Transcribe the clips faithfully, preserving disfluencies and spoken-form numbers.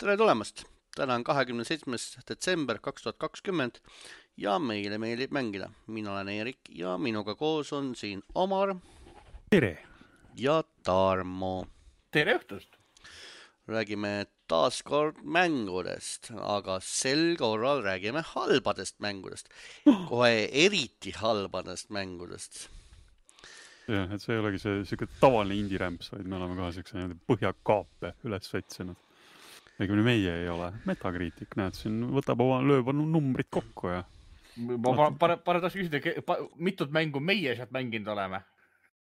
Tere tulemast! Täna on kahekümne seitsmes detsember kaks tuhat kakskümmend ja meile meeldib mängida. Mina olen Eerik ja minuga koos on siin Omar. Tere! Ja Tarmo. Tere õhtust! Räägime taas kord mängudest, aga sel korral räägime halbadest mängudest. Kohe eriti halbadest mängudest. jah, et see ei olegi see siuke tavaline indie-rämps, vaid me oleme ka siukse põhjakaape üles vetsinud. Õigemini meie ei ole. Metacritic, näed, siin võtab oma lööb numbrid kokku ja... Ma pane taas küsida, mitut mängu meie sealt mänginud oleme?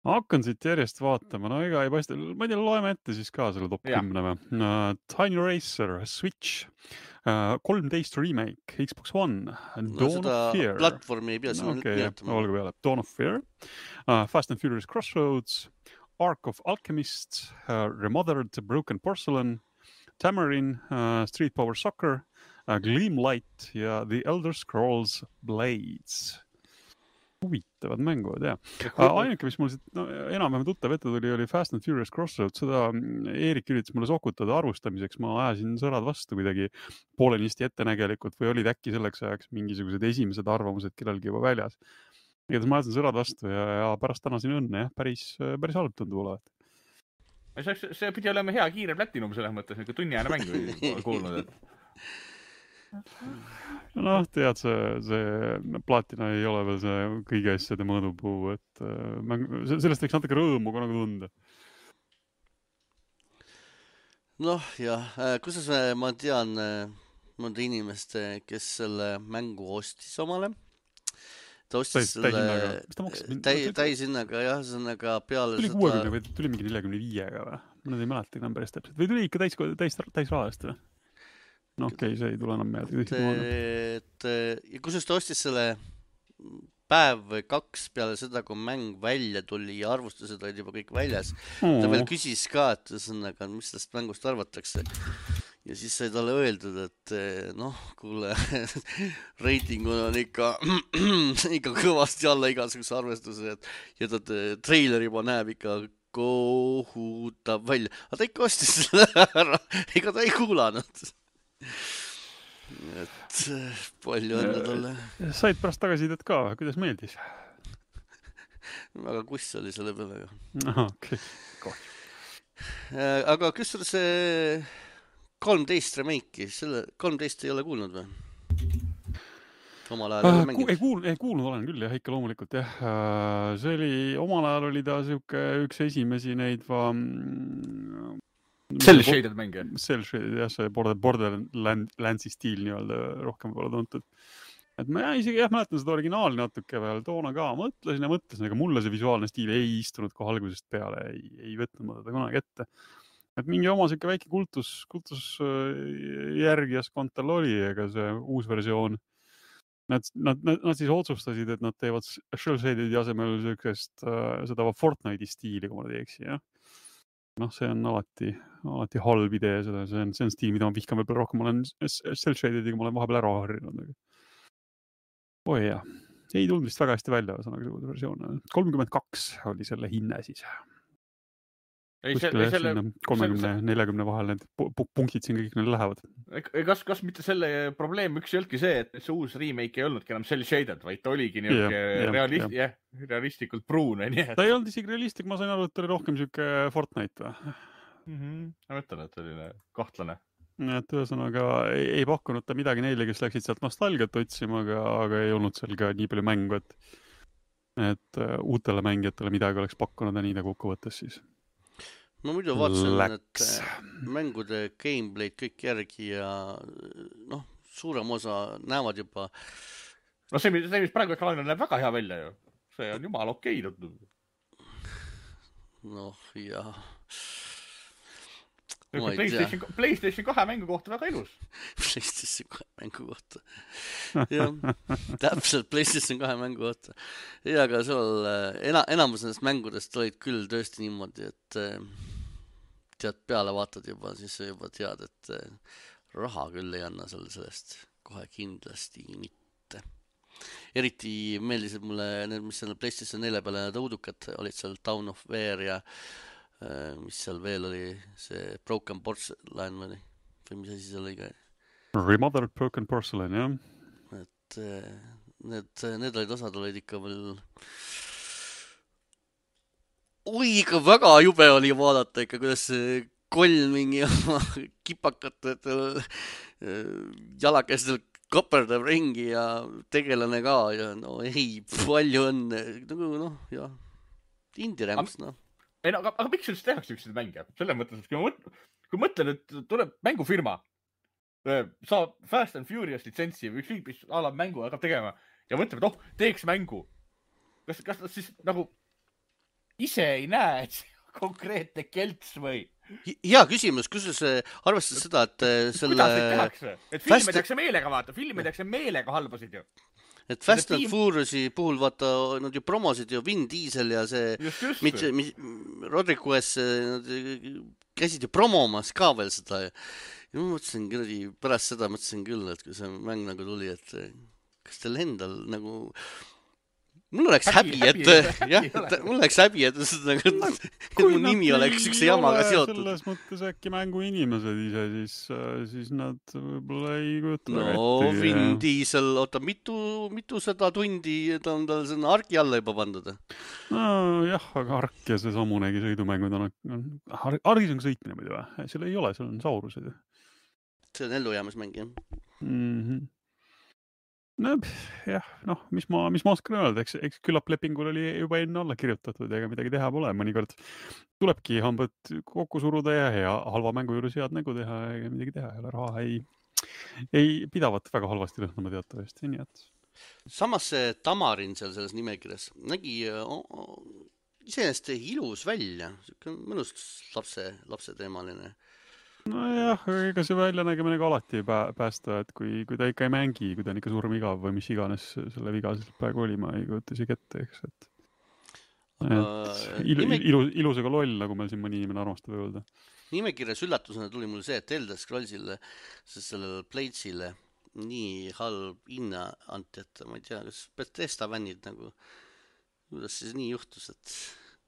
Ma hakkan siit järjest vaatama, no ega ei paista, ma ei tea, loeme ette siis ka selle top kümne või. Uh, Tiny Racer, Switch, uh, kolmteist remake, Xbox One, no, Dawn of Fear. Platvormi ei pea no, okay, olgu peale. Dawn of Fear, uh, Fast and Furious Crossroads, Ark of Alchemist, uh, Remothered Broken Porcelain, Tamarin, uh, Street Power Soccer, uh, Gleamlight ja The Elder Scrolls Blades. Huvitavad mängud, jah. Ainuke, mis mul siit no, enam-vähem tuttav ette tuli, oli Fast and Furious Crossroads. Seda Eerik üritas mulle sokutada arvustamiseks. Ma ajasin sõrad vastu kuidagi poolenisti ettenägelikult või olid äkki selleks ajaks mingisugused esimesed arvamused kellelgi juba väljas. Igatahes ma ajasin sõrad vastu ja, ja pärast tänasin õnne, jah, päris, päris halb tundub olevat. See, see pidi olema hea kiire platinum selles mõttes, nagu tunniajane mängu kuulnud, et... noh, tead, see, see platina ei ole veel see kõige asjade mõõdupuu, et mäng, sellest võiks natuke rõõmu ka nagu tunda. noh, jah, kuidas ma tean mõnda inimest, kes selle mängu ostis omale. Ta ostis täis, selle täishinnaga, jah, sõnaga peale tuli kuuekümne või tuli mingi neljakümne viiega või? Ma nüüd ei mäleta enam päris täpselt. Või tuli ikka täis, täis, täis rahast või? No okei, okay, see ei tule enam meelde. Et, ja kus ta ostis selle päev või kaks peale seda, kui mäng välja tuli ja arvustused olid juba kõik väljas. Oh. Ta veel küsis ka, et sõnaga, mis sellest mängust arvatakse. Ja siis sai talle öeldud, et noh, kuule, reitingud on ikka, ikka kõvasti alla igasuguse arvestuse, et, ja ta treiler juba näeb ikka kohutav välja. Aga ta ikka ostis selle ära, ega ta ei kuulanud. Et palju õnne talle. Said pärast tagasisidet ka, kuidas meeldis? Väga kuss oli selle peale. Aha, okei. Okay. Aga kus on see kolmteist remake'i? Selle kolmteist ei ole kuulnud või? Omal ajal äh, ku, ei, kuul, ei kuulnud olen küll, jah, ikka loomulikult, jah. See oli, omal ajal oli ta siuke üks esimesi neid va... Cell shaded mänge. Cell shaded, jah, see Borderlandsi stiil nii-öelda rohkem pole tuntud. Et ma isegi jah, mäletan seda originaali natuke veel toona ka. Mõtlesin ja mõtlesin, aga mulle see visuaalne stiil ei istunud kohe algusest peale, ei, ei võtnud ma teda kunagi ette. Et mingi oma siuke väike kultus, kultus järgijas kontal oli, ega see uus versioon. Nad, nad, nad, nad siis otsustasid, et nad teevad shell shaded asemel siukest uh, seda Fortnite'i stiili, kui ma teeksi, jah. noh, see on alati, alati halb idee, seda, see on, see on stiil, mida ma vihkan veel rohkem, ma olen cel-shadediga, ma olen vahepeal ära harjunud. Oi jah, ei tulnud vist väga hästi välja, sõnaga versioon. kolmkümmend kaks oli selle hinne siis. Kuskile selle, kolmekümne nelikümne vahel need punktid siin kõik neil lähevad. Kas, kas mitte selle probleem üks ei olnudki see, et see uus remake ei olnudki enam cel-shaded, vaid ta oligi niisugune yeah, realist, yeah, yeah, realistlikult pruune. Nii et... Ta ei olnud isegi realistik, ma sain aru, et oli rohkem siuke Fortnite või? Mm-hmm. Ma mõtlen, et oli kahtlane. Et ühesõnaga ei, ei pakkunud ta midagi neile, kes läksid sealt nostalgiat otsima, aga, aga ei olnud seal ka nii palju mängu, et, et uh, uutele mängijatele midagi oleks pakkunud ja nii ta kokkuvõttes siis. Ma muidu vaatasin, et mängude gameplay'd kõik järgi ja noh, suurem osa näevad juba. No see, see mis praegu ekraanil näeb väga hea välja ju. See on jumal okei. Noh, jah. PlayStation, PlayStation kahe mängu kohta väga ilus. PlayStation kahe mängu kohta. jah, täpselt PlayStation kahe mängu kohta. Ja aga seal ena, enamus nendest mängudest olid küll tõesti niimoodi, et tead peale vaatad juba, siis juba tead, et raha küll ei anna selle sellest kohe kindlasti mitte. Eriti meeldisid mulle need, mis selle PlayStation nelja peale need õudukad olid seal Town of War ja mis seal veel oli, see Broken Porcelain või või mis asi see oli ka. Remothered Broken Porcelain, jah. Et need, need olid osad olid ikka veel oi, ikka väga jube oli vaadata ikka, kuidas koll mingi kipakatel jalakestel kaperdab ringi ja tegelane ka ja no ei, palju õnne. Nagu noh, jah, indie-rämps, noh. Ei no, aga, aga miks üldse tehakse üksid mänge? Selle mõttes, kui, mõt, kui mõtlen, et tuleb mängufirma, saab Fast and Furious litsentsi või ükskõik, mis ala mängu hakkab tegema ja mõtleb, et oh, teeks mängu. Kas, kas nad siis nagu ise ei näe, et see konkreetne kelts või? Hea küsimus, kus see arvestades seda, et selle... Kuidas neid tehakse? Et filmi tehakse meelega vaata, filmi tehakse meelega halbasid ju. Et Fast and Furiousi puhul vaata, nad ju promosid ju Vin Diesel ja see just, just. Mis, mis, Rodriguez, nad käisid ju promomas ka veel seda ja ma mõtlesin küll, pärast seda mõtlesin küll, et kui see mäng nagu tuli, et kas teil endal nagu mul oleks häbi, häbi et jah, mul oleks häbi, et, nagu, et mu nimi oleks üks jamaga seotud. Selles mõttes äkki mängu inimesed ise, siis, siis nad võib-olla ei kujuta no, ette. No, Vin Diesel, oota, mitu, mitu seda tundi ta on tal sinna arki alla juba pandud? No jah, aga ark ja see samunegi sõidumängud on, on argis on sõitmine muidu või? Seal ei ole, seal on saurused. See on ellujäämismäng, jah. Mhm. No jah, noh, mis ma, mis ma oskan öelda, eks, eks küllap lepingul oli juba enne alla kirjutatud, ega midagi teha pole, mõnikord tulebki hambad kokku suruda ja hea halva mängu juures head nägu teha, ega midagi teha, jälle raha ei, ei pidavat väga halvasti lõhnama teatavasti, nii et. Samas see Tamarin seal selles nimekirjas nägi oh, oh, iseenesest ilus välja, mõnus lapse, lapse teemaline. No jah, ega see väljanägemine ka alati pää, päästa, et kui, kui ta ikka ei mängi, kui ta on ikka surm igav või mis iganes selle viga praegu oli, ma ei kujuta isegi ette, eks, et, et ilu, nime... ilu, ilusega loll, nagu meil siin mõni inimene armastab öelda. Nimekirjas üllatusena tuli mul see, et Elder Scrollsile, sellele Bladesile nii halb hinna anti, et ma ei tea, kas Bethesda fännid nagu, kuidas siis nii juhtus, et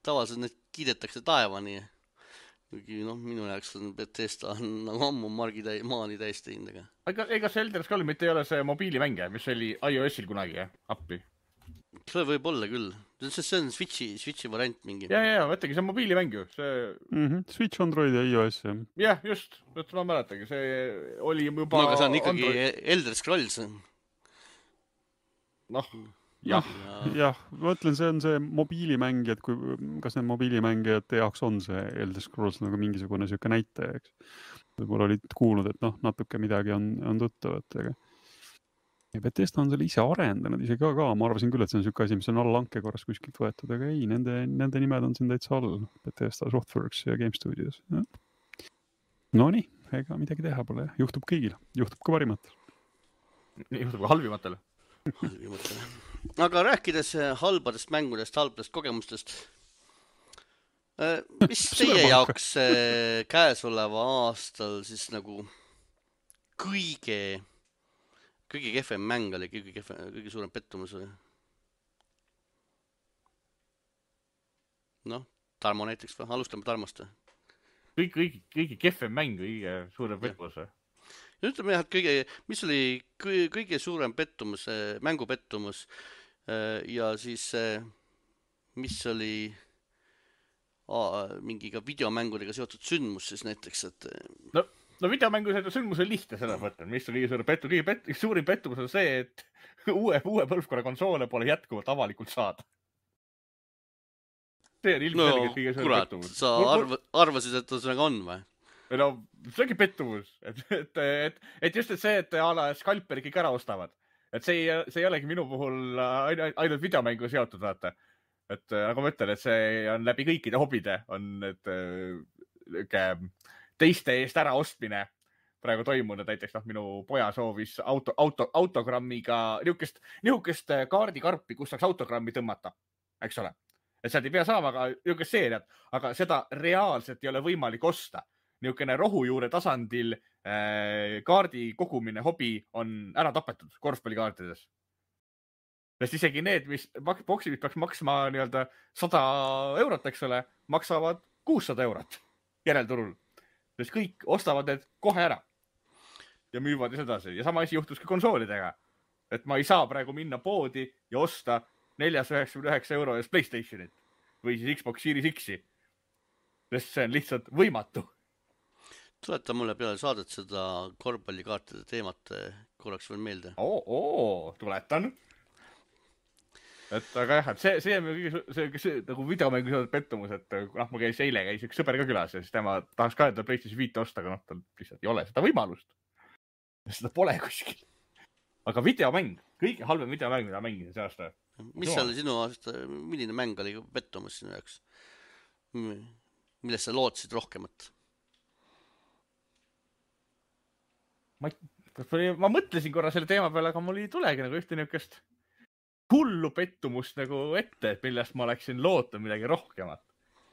tavaliselt need kiidetakse taevani. Kuigi, noh, minu jaoks on Bethesda on nagu ammu margi täi, maani täis teinud, aga... Ega, ega see Elder Scrolls mitte ei ole see mobiilimänge, mis oli iOS-il kunagi, jah? Appi. See võib olla küll. See on Switchi, Switchi variant mingi. Ja, ja, võttagi, see on mobiilimäng ju. See... Mm-hmm. Switch, Android ja iOS, jah. Jah, just. Et ma mäletagi. See oli juba... No, aga see on ikkagi Android... Elder Scrolls. Noh... jah, jah, ma ütlen, see on see mobiilimängijad, kui, kas need mobiilimängijad jaoks on see Elder Scrolls nagu mingisugune siuke näitaja, eks. Võib-olla olid kuulnud, et noh, natuke midagi on, on tuttavat, aga ja Bethesda on selle ise arendanud ise ka, ka, ma arvasin küll, et see on siuke asi, mis on all lanke korras kuskilt võetud, aga ei, nende, nende nimed on siin täitsa all, Bethesda, Softworks ja Game Studios. Ja. No nii, ega midagi teha pole, juhtub kõigil, juhtub ka parimatel. Juhtub ka halvimatel. halvimatel. Aga rääkides halbadest mängudest, halbadest kogemustest, mis teie jaoks käesoleva aastal siis nagu kõige, kõige kehvem mäng oli, kõige, kehvem, kõige suurem pettumus oli? Noh, Tarmo näiteks või? Alustame Tarmost. Kõige, kõige, kõige kehvem mäng, kõige suurem pettumus või? Ja ütleme jah, et kõige, mis oli kõige, kõige suurem pettumus, mängupettumus ja siis mis oli aa, mingiga videomängudega seotud sündmus siis näiteks, et... No, no videomängu sündmus on lihtne seda mõtlen, mis oli kõige suurem pettumus. Kõige pet, suurim pettumus on see, et uue, uue põlvkonna konsoole pole jätkuvalt avalikult saada. See on ilmselgelt no, kõige suurem kurat, pettumus. Sa arv, arvasid, et see on või? No, see ongi pettumus, et, et, et, et just et see, et ala Scalperi kõik ära ostavad. Et see ei, see ei olegi minu puhul ainult videomängu seotud, vaata. Et nagu ma ütlen, et see on läbi kõikide hobide, on et, teiste eest ära ostmine praegu toimunud. Näiteks noh, minu poja soovis auto, auto, autogrammiga nihukest, nihukest kaardikarpi, kus saaks autogrammi tõmmata, eks ole. Et sealt ei pea saama aga nihukest seeriat, aga seda reaalselt ei ole võimalik osta. Niisugune rohujuure tasandil äh, kaardi kogumine hobi on ära tapetud korvpallikaartides. Sest isegi need, mis boksid peaks maksma nii-öelda sada eurot, eks ole, maksavad kuussada eurot järelturul. Sest kõik ostavad need kohe ära. ja müüvad ja sedasi. Ja sama asi juhtus ka konsoolidega. Et ma ei saa praegu minna poodi ja osta neljasada üheksakümmend üheksa euro eest PlayStationit või siis Xbox Series X-i. Sest see on lihtsalt võimatu. Tuleta mulle peale saadet seda korvpallikaartide teemat korraks veel meelde. Oo, oo, tuletan. Et aga jah, et see, see on see, see, see nagu videomängu seotud pettumus, et noh, ma käis eile, käis üks sõber ka külas ja siis tema tahaks ka enda PlayStation viite osta, aga noh, tal lihtsalt ei ole seda võimalust. Seda pole kuskil. Aga videomäng, kõige halvem videomäng, mida mängida see aasta. Mis seal sinu aasta, milline mäng oli pettumus sinu jaoks? Millest sa lootsid rohkemat? Ma, ma mõtlesin korra selle teema peale, aga mul ei tulegi nagu ühte niukest hullu pettumust nagu ette, et millest ma oleksin lootnud midagi rohkemat.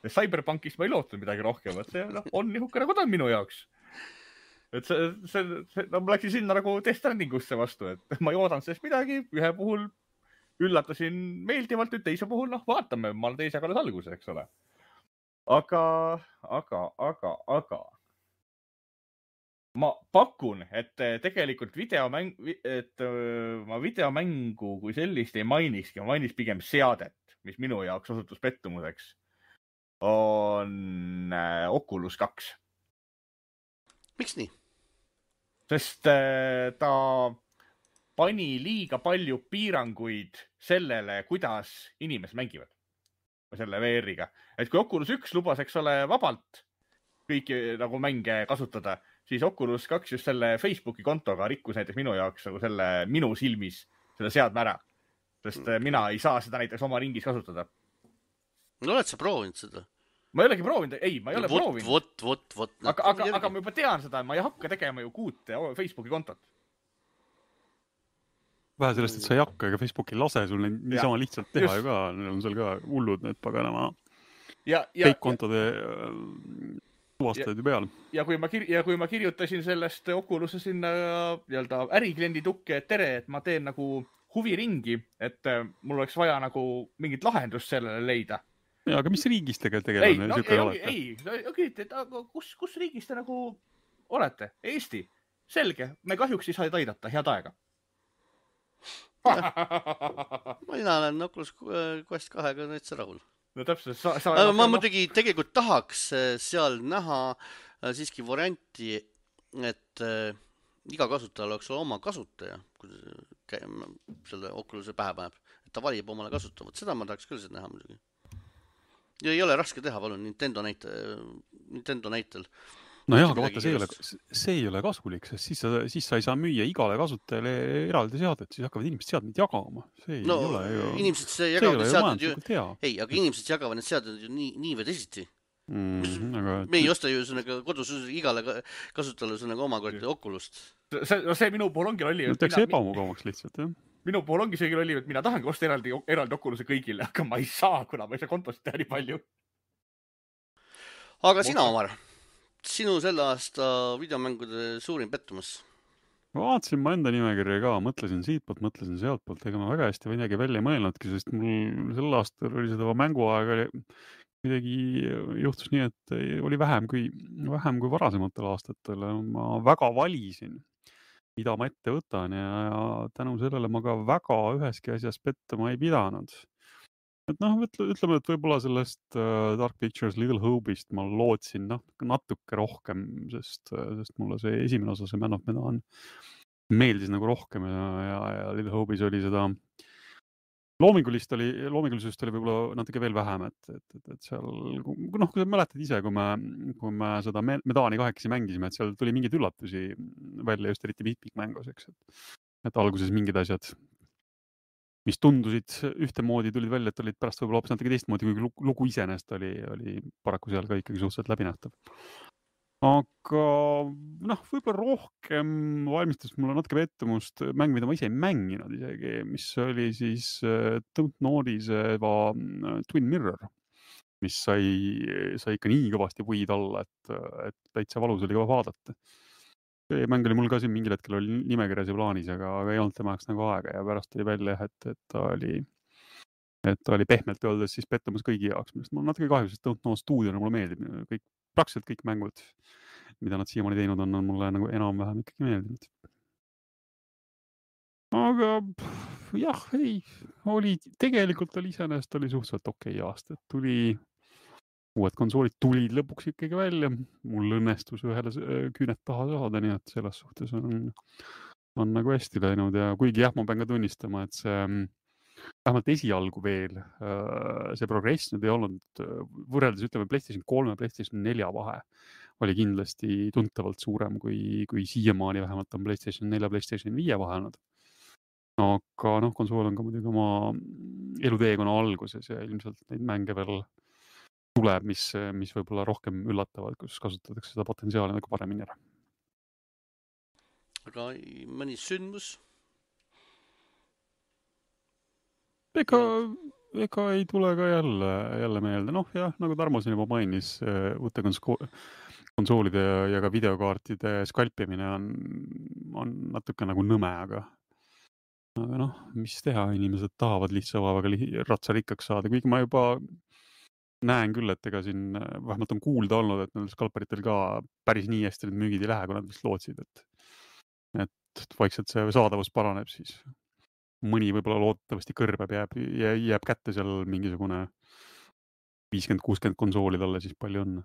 Cyberpunkist ma ei lootnud midagi rohkemat. See no, on nihuke nagu ta on minu jaoks. Et see, see, see no, ma läksin sinna nagu Death Strandingusse vastu, et ma ei oodanud sellest midagi. Ühe puhul üllatasin meeldivalt, nüüd teise puhul, noh, vaatame, ma olen teisega alles alguses, eks ole. Aga, aga, aga, aga ma pakun, et tegelikult videomäng, et ma videomängu kui sellist ei mainikski, ma mainiks pigem seadet, mis minu jaoks osutus pettumuseks, on Oculus kaks. Miks nii? Sest ta pani liiga palju piiranguid sellele, kuidas inimesed mängivad selle V R-iga. Et kui Oculus üks lubas, eks ole, vabalt kõiki nagu mänge kasutada, siis Oculus kaks just selle Facebooki kontoga rikkus näiteks minu jaoks nagu selle minu silmis selle seadme ära. Sest mina ei saa seda näiteks oma ringis kasutada. No oled sa proovinud seda? Ma ei olegi proovinud, ei, ma ei ole vot, proovinud. Vot, vot, vot. Aga, aga, aga ma juba tean seda, ma ei hakka tegema ju kuut Facebooki kontot. Vähe sellest, et sa ei hakka, ega Facebooki lase sul niisama lihtsalt teha just. Ju ka. Neil on seal ka hullud need paganama fake-kontode tuvastajad ju peal. Ja kui, ma kir- ja kui ma kirjutasin sellest Oculus'e sinna nii-öelda ärikliendi tukke, et tere, et ma teen nagu huviringi, et mul oleks vaja nagu mingit lahendust sellele leida. Ja, aga mis riigis tegelikult tegelane? Ei, no, ei, ei, ei, et aga kus, kus riigis te nagu olete? Eesti. Selge, me kahjuks ei saa aidata, head aega. Mina olen Oculus Quest kahega näitsa rahul. No täpselt. Sa, sa ma muidugi tegelikult tahaks seal näha siiski varianti, et iga kasutajal oleks oma kasutaja, kui selle Oculus'e pähe paneb, et ta valib omale kasutavat. Seda ma tahaks küll seda näha muidugi. Ja ei ole raske teha, palun, Nintendo, näite, Nintendo näitel. No jah, aga vaata, see ei, ole, see ei ole kasulik, sest siis sa, siis sa ei saa müüa igale kasutajale eraldi seadet, siis hakkavad inimesed seadmed jagama. See ei no, ole ju... Inimesed see jagavad need seadmed ju... Ei, aga inimesed jagavad need seadmed ju nii, nii või teisiti. Mm, aga... Me ei osta ju sõnaga kodus igale kasutajale sõnaga oma korda Oculust. See, no see minu puhul ongi lolli. No teeks mina... ebamugavaks lihtsalt, jah. Minu puhul ongi see lolli, et mina tahangi osta eraldi, eraldi Oculus'e kõigile, aga ma ei saa, kuna ma ei saa kontost teha nii palju. Aga sina, Omar? Sinu selle aasta videomängude suurim pettumus? Ma vaatasin ma enda nimekirja ka, mõtlesin siitpoolt, mõtlesin sealtpoolt, ega ma väga hästi midagi välja ei mõelnudki, sest mul sel aastal oli seda mänguaega midagi juhtus nii, et oli vähem kui, vähem kui varasematel aastatel. Ma väga valisin, mida ma ette võtan ja, ja tänu sellele ma ka väga üheski asjas pettuma ei pidanud. Et noh, ütleme, et võib-olla sellest uh, Dark Pictures Little Hope'ist ma lootsin noh, natuke rohkem, sest, sest mulle see esimene osa, see Man of Medan meeldis nagu rohkem ja, ja, ja Little Hope'is oli seda loomingulist oli, loomingulisust oli võib-olla natuke veel vähem, et, et, et, et seal, noh, kui sa mäletad ise, kui me, kui me seda Medani kahekesi mängisime, et seal tuli mingeid üllatusi välja just eriti mitmikmängus, eks, et, et alguses mingid asjad mis tundusid ühtemoodi, tulid välja, et olid pärast võib-olla hoopis natuke teistmoodi, kui lugu iseenest oli, oli paraku seal ka ikkagi suhteliselt läbinähtav. Aga noh, võib-olla rohkem valmistas mulle natuke pettumust mäng, mida ma ise ei mänginud isegi, mis oli siis Don't Notice'i Twin Mirror, mis sai, sai ikka nii kõvasti puid alla, et, et täitsa valus oli ka vaadata. See mäng oli mul ka siin mingil hetkel oli nimekirjas ja plaanis, aga, aga ei olnud temaks nagu aega ja pärast tuli välja, et, et ta oli, et ta oli pehmelt öeldes siis pettumus kõigi jaoks, millest mul natuke kahju, sest Don't Know stuudiona mulle meeldib kõik, praktiliselt kõik mängud, mida nad siiamaani teinud on, on mulle nagu enam-vähem ikkagi meeldinud. Aga pff, jah, ei, oli, tegelikult oli iseenesest oli suhteliselt okei aasta, et tuli, uued konsoolid tulid lõpuks ikkagi välja, mul õnnestus ühele küüned taha saada, nii et selles suhtes on, on nagu hästi läinud ja kuigi jah, ma pean ka tunnistama, et see vähemalt esialgu veel see progress nüüd ei olnud võrreldes, ütleme, PlayStation kolme ja PlayStation nelja vahe oli kindlasti tuntavalt suurem kui, kui siiamaani vähemalt on PlayStation nelja ja PlayStation viie vahe olnud. Aga noh, konsool on ka muidugi oma eluteekonna alguses ja ilmselt neid mänge veel tuleb, mis, mis võib-olla rohkem üllatavad, kus kasutatakse seda potentsiaali nagu paremini ära. Aga mõni sündmus? Ega, ega ei tule ka jälle, jälle meelde. Noh jah, nagu Tarmo siin juba mainis, uute konsko- konsoolide ja, ja ka videokaartide skalpimine on, on natuke nagu nõme, aga aga noh, mis teha, inimesed tahavad lihtsa vaevaga ratsa rikkaks saada, kuigi ma juba näen küll, et ega siin vähemalt on kuulda olnud, et nendel skalperitel ka päris nii hästi need müügid ei lähe, kui nad vist lootsid, et, et vaikselt see saadavus paraneb, siis mõni võib-olla loodetavasti kõrbeb, jääb, jääb kätte seal mingisugune viiskümmend kuuskümmend konsooli talle, siis palju on.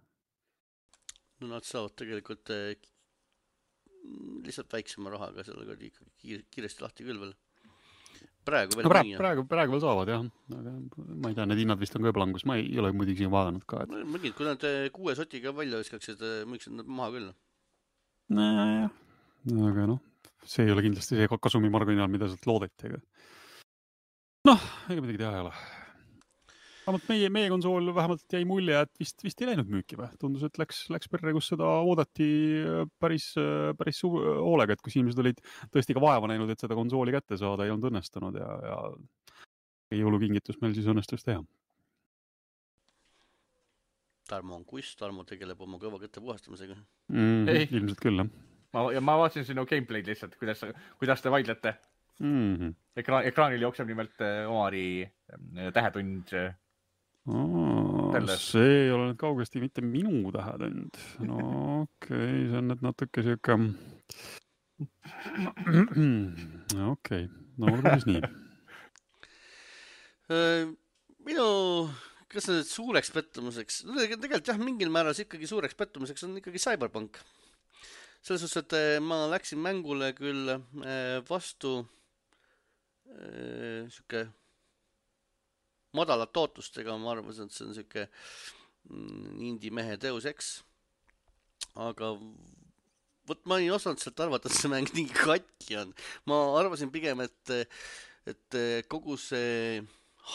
No nad saavad tegelikult eh, lihtsalt väiksema rahaga sellega ikkagi kiiresti lahti küll veel. Praegu veel no, praegu, praegu, praegu veel saavad, jah. Aga ma ei tea, need hinnad vist on ka juba langus. Ma ei ole muidugi siin vaadanud ka. Et... Mõgid, kui nad kuue sotiga välja viskaksid, müüksid nad maha küll. Nojah, aga noh, see ei ole kindlasti see kasumi marginaal, mida sealt loodeti. Aga... noh, ega midagi teha ei ole. Vähemalt meie, meie konsool vähemalt jäi mulje, et vist, vist ei läinud müüki või. Tundus, et läks, läks perre, kus seda oodati päris, päris suur hoolega, et kus inimesed olid tõesti ka vaeva näinud, et seda konsooli kätte saada ei olnud õnnestunud ja, ja jõulukingitus meil siis õnnestus teha. Tarmo on kuss, Tarmo tegeleb oma kõva kätte puhastamisega. Mm, ilmselt küll, jah. Ma, ja ma vaatasin sinu gameplay'd lihtsalt, kuidas, kuidas te vaidlete. Mm-hmm. Ekra, ekraanil jookseb nimelt Omari tähetund. Oh, see ei ole nüüd kaugesti mitte minu tähetund. No okei, okay, see on nüüd natuke siuke... okei, okay. No olgu siis nii. Minu, kas nüüd suureks pettumuseks? No, tegelikult jah, mingil määras ikkagi suureks pettumuseks on ikkagi Cyberpunk. Selles suhtes, et ma läksin mängule küll vastu siuke madalat tootustega, ma arvasin, et see on siuke indie mehe Deus Ex. Aga võt ma ei osanud sealt arvata, et see mäng nii katki on. Ma arvasin pigem, et, et kogu see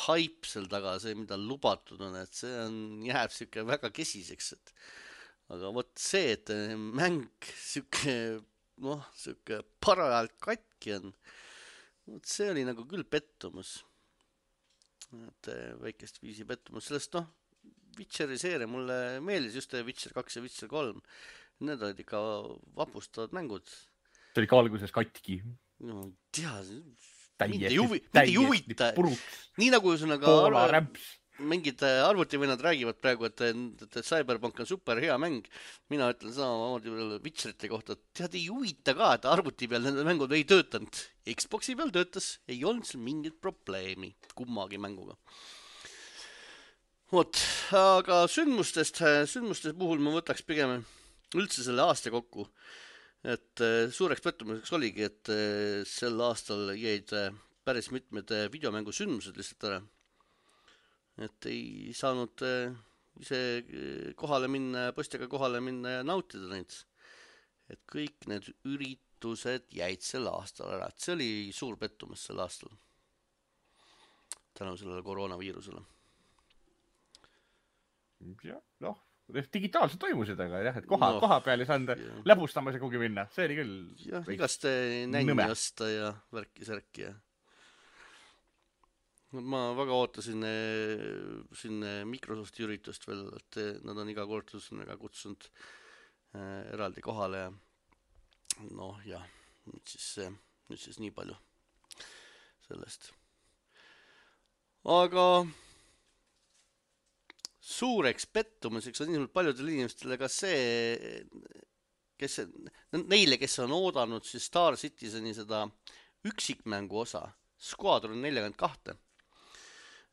hype seal taga, see mida lubatud on, et see on, jääb siuke väga kesiseks. Et, aga võt see, et mäng siuke, noh, siuke parajalt katki on, võt see oli nagu küll pettumus. Et väikest viisi pettumus. Sellest noh, Witcheri seeria mulle meeldis just Witcher kaks ja Witcher kolm. Need olid ikka vapustavad mängud. See oli ka alguses katki. No tea, täiesti, mitte juvi, täiesti juvita. Nii nagu ühesõnaga arv... mingid arvutivõnad räägivad praegu, et, et Cyberpunk on super hea mäng. Mina ütlen samamoodi Witcherite kohta, et tead ei huvita ka, et arvuti peal need mängud ei töötanud. Xboxi peal töötas, ei olnud seal mingit probleemi kummagi mänguga. Vot, aga sündmustest, sündmustest puhul ma võtaks pigem üldse selle aasta kokku. Et suureks pettumuseks oligi, et sel aastal jäid päris mitmed videomängu sündmused lihtsalt ära. Et ei saanud ise kohale minna, postiga kohale minna ja nautida neid. Et kõik need üritused jäid sel aastal ära. Et see oli suur pettumus sel aastal. Tänu sellele koroonaviirusele. Ja, noh, digitaalselt toimusid, aga jah, et koha, no, koha peal ei saanud ja. Läbustamas ja kuhugi minna. See oli küll... jah, igast nänni osta ja värki-särki ja... Ma väga ootasin siin Microsofti üritust veel, et nad on iga kord kutsunud eraldi kohale ja noh, jah, nüüd siis, nüüd siis nii palju sellest. Aga suureks pettumuseks on ilmselt paljudel inimestele ka see, kes, neile, kes on oodanud siis Star Citizeni seda üksikmängu osa, Squadron nelikümmend kaks.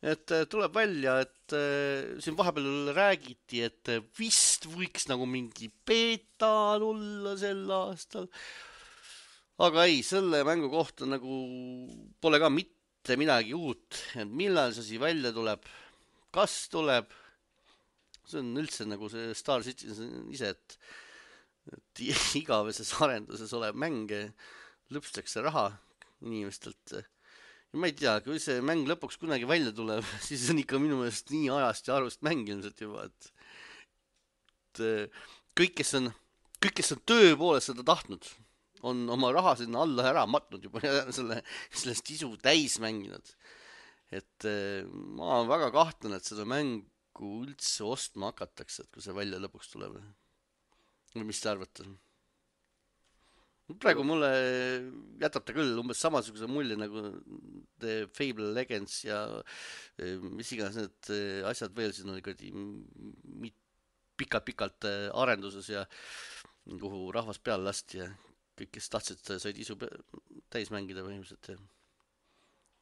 Et tuleb välja, et siin vahepeal räägiti, et vist võiks nagu mingi beeta tulla sel aastal. Aga ei, selle mängu kohta nagu pole ka mitte midagi uut. Et millal see asi välja tuleb, kas tuleb, see on üldse nagu see Star Citizen ise, et, et igaveses arenduses olev mänge lõpstakse raha inimestelt. Ja ma ei tea, kui see mäng lõpuks kunagi välja tuleb, siis on ikka minu meelest nii ajast ja arvust mäng ilmselt juba, et, et kõik, kes on, kõik, kes on töö poolest seda tahtnud, on oma raha sinna alla ära matnud juba ja selle, sellest isu täis mänginud. Et ma olen väga kahtlen, et seda mängu üldse ostma hakatakse, et kui see välja lõpuks tuleb. Või mis te arvate? Praegu mulle jätab ta küll umbes samasuguse mulje nagu The Fable Legends ja mis iganes need asjad veel siin oli pikalt-pikalt arenduses ja kuhu rahvas peale lasti ja kõik, kes tahtsid, said isu täis mängida põhimõtteliselt ja,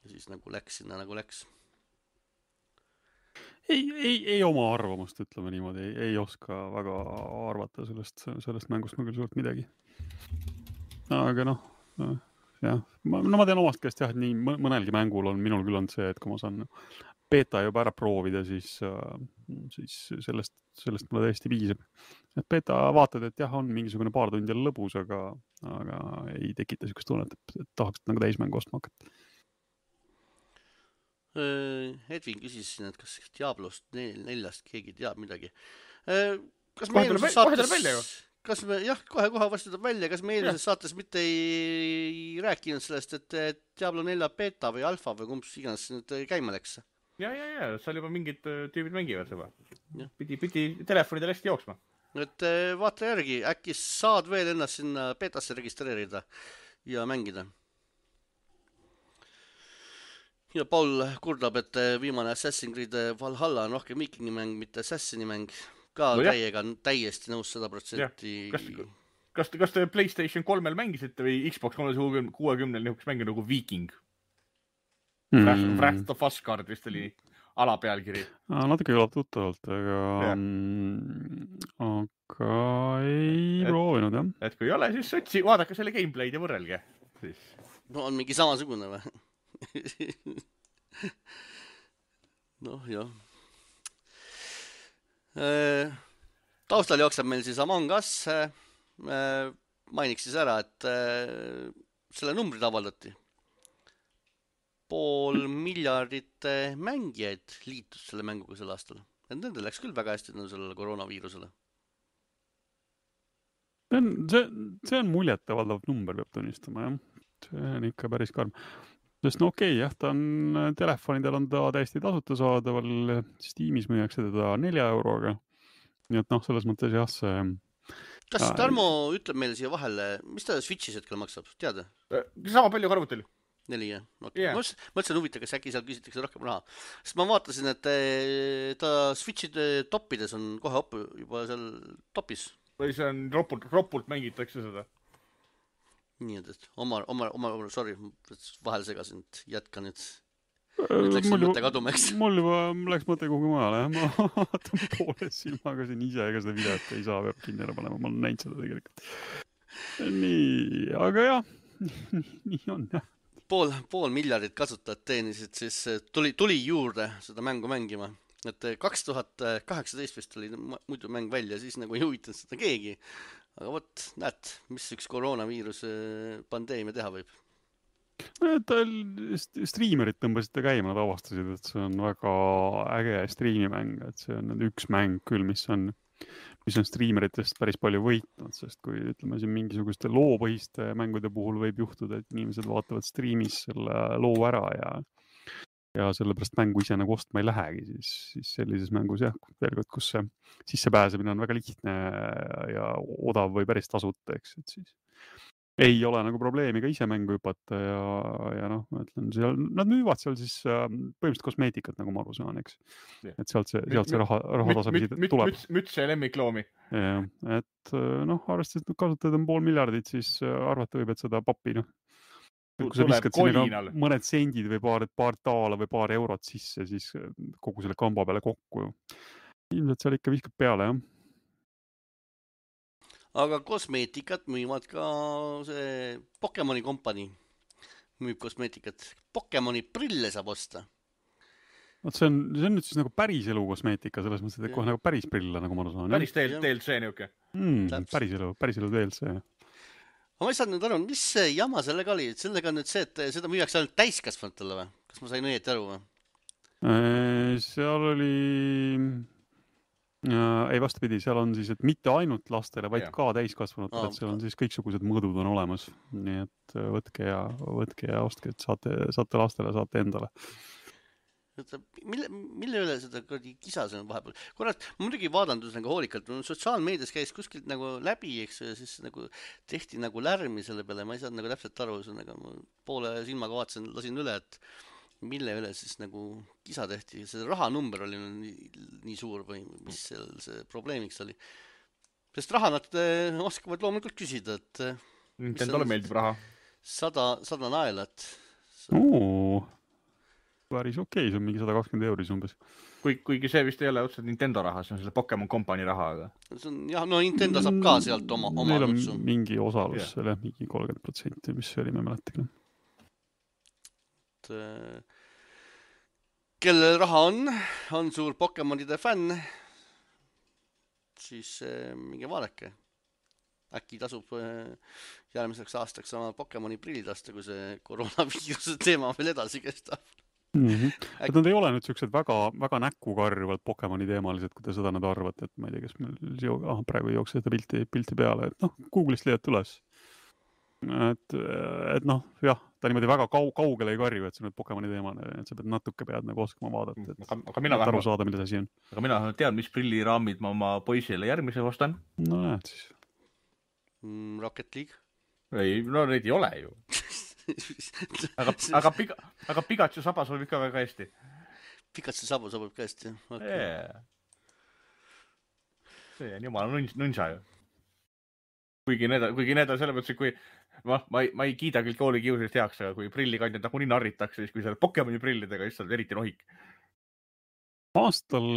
ja siis nagu läks sinna nagu läks. Ei, ei, ei oma arvamust, ütleme niimoodi, ei, ei oska väga arvata sellest, sellest mängust ma küll suurt midagi. Aga noh, jah, ma, no ma tean omast käest jah, et nii mõnelgi mängul on, minul küll on see, et kui ma saan beta juba ära proovida, siis, siis sellest, sellest mulle täiesti piisab. Et beta vaatad, et jah, on mingisugune paar tundi lõbus, aga, aga ei tekita sükest tunnet, et tahaks nagu täismängu ostma hakata. Edvin küsis siin, et kas Diablost neljast keegi teab midagi. Kas me eelmises saates, kas me, jah, kohe-kohe vastu tuleb välja, kas me eelmises saates mitte ei rääkinud sellest, et Diablo nelja beta või alfa või kumps iganes nüüd käima läks? Ja, ja, ja, seal juba mingid tüübid mängivad juba. Pidi, pidi telefonidel hästi jooksma. Et vaata järgi, äkki saad veel ennast sinna betasse registreerida ja mängida. Ja Paul kurdab, et viimane Assassin's Creed Valhalla on rohkem viikingi mäng, mitte Assassini mäng. Ka no täiega täiesti nõus sada protsenti. Kas, kas, kas te PlayStation kolmel mängisite või Xbox kolmesada niisugust mängu nagu Viking? Mm. Wrath of Asgard vist oli alapealkiri. Natuke kõlab tuttavalt, aga, aga ei et, proovinud, jah. Et kui ei ole, siis otsi, vaadake selle gameplay'd ja võrrelge. Siis. No on mingi samasugune või? noh, jah. Taustal jookseb meil siis Among Us. Mainiks siis ära, et selle numbrid avaldati. Pool miljardit mängijaid liitus selle mänguga sel aastal. Nendel läks küll väga hästi sellele koroonaviirusele. See on, see, see on muljetavaldav number, peab tunnistama, jah. See on ikka päris karm. Sest no okei, jah, ta on, telefonidel on ta täiesti tasuta saadaval, Steamis müüakse teda nelja euroga. Nii et noh, selles mõttes jah, see... Kas Tarmo äh, ütleb meile siia vahele, mis ta Switchis hetkel maksab, teada? Sama palju karvutel. Neli, jah. Okay. Yeah. Ma mõtlesin huvita, kas äkki seal küsitakse rohkem raha. Sest ma vaatasin, et ta Switchide toppides on kohe op, juba seal topis. Või see on ropult, ropult mängitakse seda. Nii, et oma, oma, oma, sorry, vahel segasin, jätka nüüd. Nüüd läks mul mõte kaduma, eks. Mul juba läks mõte kuhugi maale, ma vaatan poole silmaga siin ise, ega seda videot ei saa peab kinni ära panema, ma olen näinud seda tegelikult. Nii, aga jah, nii on, jah. Pool, pool miljardit kasutajat teenisid, siis tuli, tuli juurde seda mängu mängima. Et kaks tuhat kaheksateist vist oli muidu mäng välja, siis nagu ei huvitanud seda keegi. Aga võt, näed, mis üks koroonaviirus pandeemia teha võib? Tal striimerit tõmbasid ta käima, nad avastasid, et see on väga äge striimimäng, et see on üks mäng küll, mis on, mis on striimeritest päris palju võitnud, sest kui ütleme siin mingisuguste loopõhiste mängude puhul võib juhtuda, et inimesed vaatavad striimis selle loo ära ja ja sellepärast mängu ise nagu ostma ei lähegi, siis, siis sellises mängus jah, veel kord, kus see sissepääsemine on väga lihtne ja odav või päris tasuta, eks, et siis ei ole nagu probleemi ka ise mängu hüpata ja, ja noh, ma ütlen, seal, nad müüvad seal siis äh, põhimõtteliselt kosmeetikat, nagu ma aru saan, eks. Jah. Et sealt see, sealt see raha, raha tasapisi tuleb. Müts, müts ja lemmikloomi. Ja, et noh, arvestades, et kasutajad on pool miljardit, siis arvata võib, et seda papi, noh, kui sa viskad sinna mõned sendid või paar, paar taala või paar eurot sisse, siis kogu selle kamba peale kokku. Ilmselt seal ikka viskab peale, jah. Aga kosmeetikat müüvad ka see Pokemoni kompanii müüb kosmeetikat. Pokemoni prille saab osta. Oot, see on, see on nüüd siis nagu päris elu kosmeetika, selles mõttes, et kohe nagu päris prille, nagu ma aru saan. Päris D L C niuke. Mm, päris elu, päris elu D L C. Ma ei saanud nüüd aru, mis see jama sellega oli? Sellega on nüüd see, et seda müüakse ainult täiskasvanutele või? Kas ma sain õieti aru või? Seal oli... Ja, ei vastupidi, seal on siis, et mitte ainult lastele, vaid ja. Ka täiskasvanutele, et seal on siis kõiksugused mõõdud on olemas. Nii et võtke ja, võtke ja ostke, et saate, saate lastele, saate endale. Mille, mille üle seda kisa see on vahepeal? Korrat, ma muidugi vaadandus nagu hoolikalt, sotsiaalmeedias käis kuskilt nagu läbi, eks, ja siis nagu tehti nagu lärmi selle peale, ma ei saanud nagu täpselt aru, nagu poole silmaga vaatasin, lasin üle, et mille üle siis nagu kisa tehti. See rahanumber oli nii, nii suur või mis seal see probleemiks oli. Sest raha nad oskavad loomulikult küsida, et Nintendole meeldib raha. Sada, sada naelat. Oo, päris okei, see on mingi sada kakskümmend euris umbes. Kui, kuigi see vist ei ole otseselt Nintendo raha, see on selle Pokemon Company raha. Aga... See on, jah, no Nintendo saab ka sealt oma, oma Neil on nutsu. mingi osalus yeah. Selle, mingi kolmkümmend protsenti, mis see oli, me mäletagi. Kellel raha on, on suur Pokemonide fänn, siis minge vaadake. Äkki tasub järgmiseks aastaks sama Pokemoni prillid asta, kui see koroonaviiruse teema veel edasi kestab. Mm-hmm. Et nad ei ole nüüd sellised väga, väga näkku karjuvad Pokemoni teemalised, kui te seda nüüd arvate, et ma ei tea, kes meil ah, praegu ei jookse seda pilti, pilti peale, et noh, Google'ist leiad üles. Et, et noh, jah, ta niimoodi väga kau- kaugele ei karju, et see on Pokemoni teemane, et sa pead natuke pead nagu oskama vaadata, et, aga, aga mina et aru saada, mida see asi on. Aga mina tean, mis prilliraamid ma oma poisile järgmise ostan. No näed siis. Mm, Rocket League? Ei, no neid ei ole ju. aga, aga, piga, aga Pikachu saba sobib ka väga hästi. Pikachu saba sobib ka hästi, jah? Okay. Yeah. See on jumala nunš, nunša ju. Kuigi need, kuigi need on selle mõttes, kui ma, ma, ei, ma ei kiida küll kooli kiusest heaks, aga kui prillikandjad nagu nii narritakse, siis kui seal Pokemoni prillidega, siis on eriti nohik. Aastal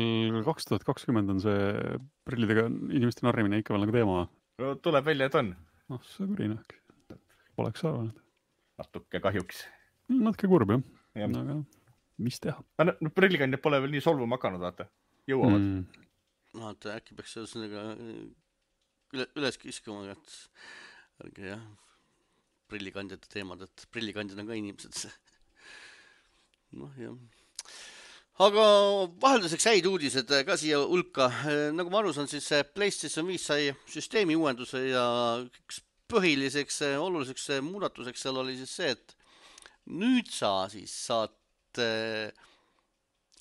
kaks tuhat kakskümmend on see prillidega inimeste narrimine ikka veel nagu teema. No, tuleb välja, et on. noh, see kurinak. Poleks arvanud. Natuke kahjuks. Natuke kurb, jah. Ja. Aga mis teha? No, prillikandjad pole veel nii solvuma hakanud, vaata. Jõuavad. Mm. No, et äkki peaks sellega üle, üles kiskuma, et ärge jah, prillikandjate teemad, et prillikandjad on ka inimesed. noh, jah. Aga vahelduseks häid uudised ka siia hulka. Nagu ma aru saan, siis PlayStation viis sai süsteemi uuenduse ja üks põhiliseks oluliseks muudatuseks seal oli siis see, et nüüd sa siis saad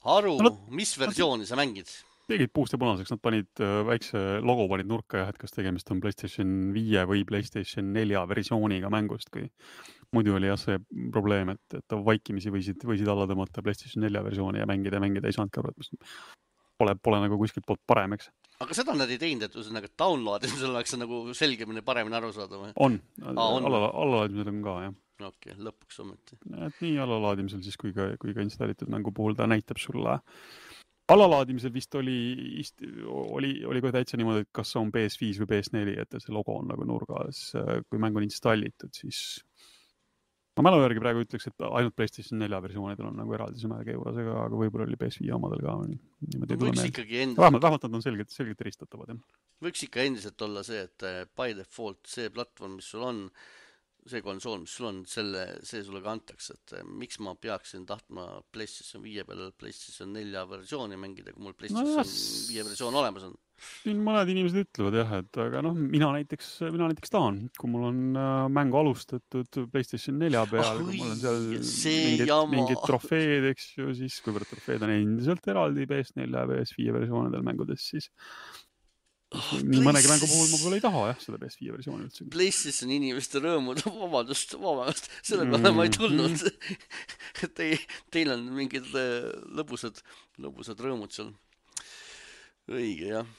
aru, no, mis versiooni sa mängid. Tegid puust ja punaseks, nad panid väikse logo panid nurka ja et kas tegemist on PlayStation viie või PlayStation nelja versiooniga mängust, kui muidu oli jah see probleem, et, et vaikimisi võisid, võisid alla tõmmata PlayStation nelja versiooni ja mängida ja mängida ei saanud ka, pole, pole nagu kuskilt poolt parem, eks. Aga seda nad ei teinud, et ühesõnaga downloadimisel oleks nagu selgemini paremini aru saada või? On, allalaadimisel on ka, jah. Okei, okay, lõpuks ometi. Et nii allalaadimisel siis kui ka, kui ka installitud mängu puhul ta näitab sulle. Allalaadimisel vist oli, oli, oli kohe täitsa niimoodi, et kas on P S viis või P S neli, et see logo on nagu nurgas, kui mäng on installitud, siis ma mälu järgi praegu ütleks, et ainult PlayStation nelja versioonidel on nagu eraldi see märge juures, aga, aga võib-olla oli P S viie omadel ka. Võiks ikkagi endiselt... Vähemalt, vähemalt nad on selgelt, selgelt eristatavad. Jah. Võiks ikka endiselt olla see, et by default see platvorm, mis sul on, see konsool, mis sul on, selle, see sulle ka antakse, et miks ma peaksin tahtma PlayStation viie peale PlayStation nelja versiooni mängida, kui mul PlayStation no, viie versioon olemas on. Siin mõned inimesed ütlevad jah, et aga noh, mina näiteks, mina näiteks tahan, kui mul on äh, mängu alustatud PlayStation nelja peal, kui mul on seal mingid, mingid trofeed, eks ju, siis kuivõrd trofeed on endiselt eraldi P S nelja ja P S viie versioonidel mängudes, siis Oh, nii mõnegi mängu puhul ma võib-olla ei taha jah, seda P S viie versiooni üldse. PlayStation inimeste rõõmud, vabandust, vabandust, selle peale mm-hmm. ma ei tulnud. Te, teil on mingid lõbusad, lõbusad rõõmud seal. Õige, jah.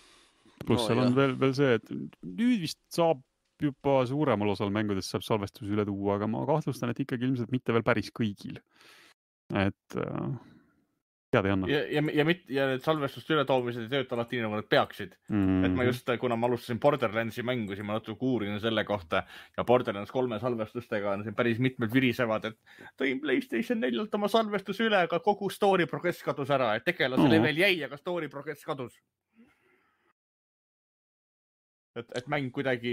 Plus no, seal jah. on veel, veel see, et nüüd vist saab juba suuremal osal mängudest saab salvestus üle tuua, aga ma kahtlustan, et ikkagi ilmselt mitte veel päris kõigil. Et äh, tead ei anna. Ja, ja, ja, mit, ja need salvestust üle toomised ei tööta alati nii, nagu nad peaksid. Mm-hmm. Et ma just, kuna ma alustasin Borderlandsi mängu, siis ma natuke uurin selle kohta ja Borderlands kolme salvestustega on siin päris mitmed virisevad, et tõin PlayStation neljalt oma salvestus üle, aga kogu story progress kadus ära, et tegelasele mm-hmm. veel jäi, aga story progress kadus. Et, et mäng kuidagi,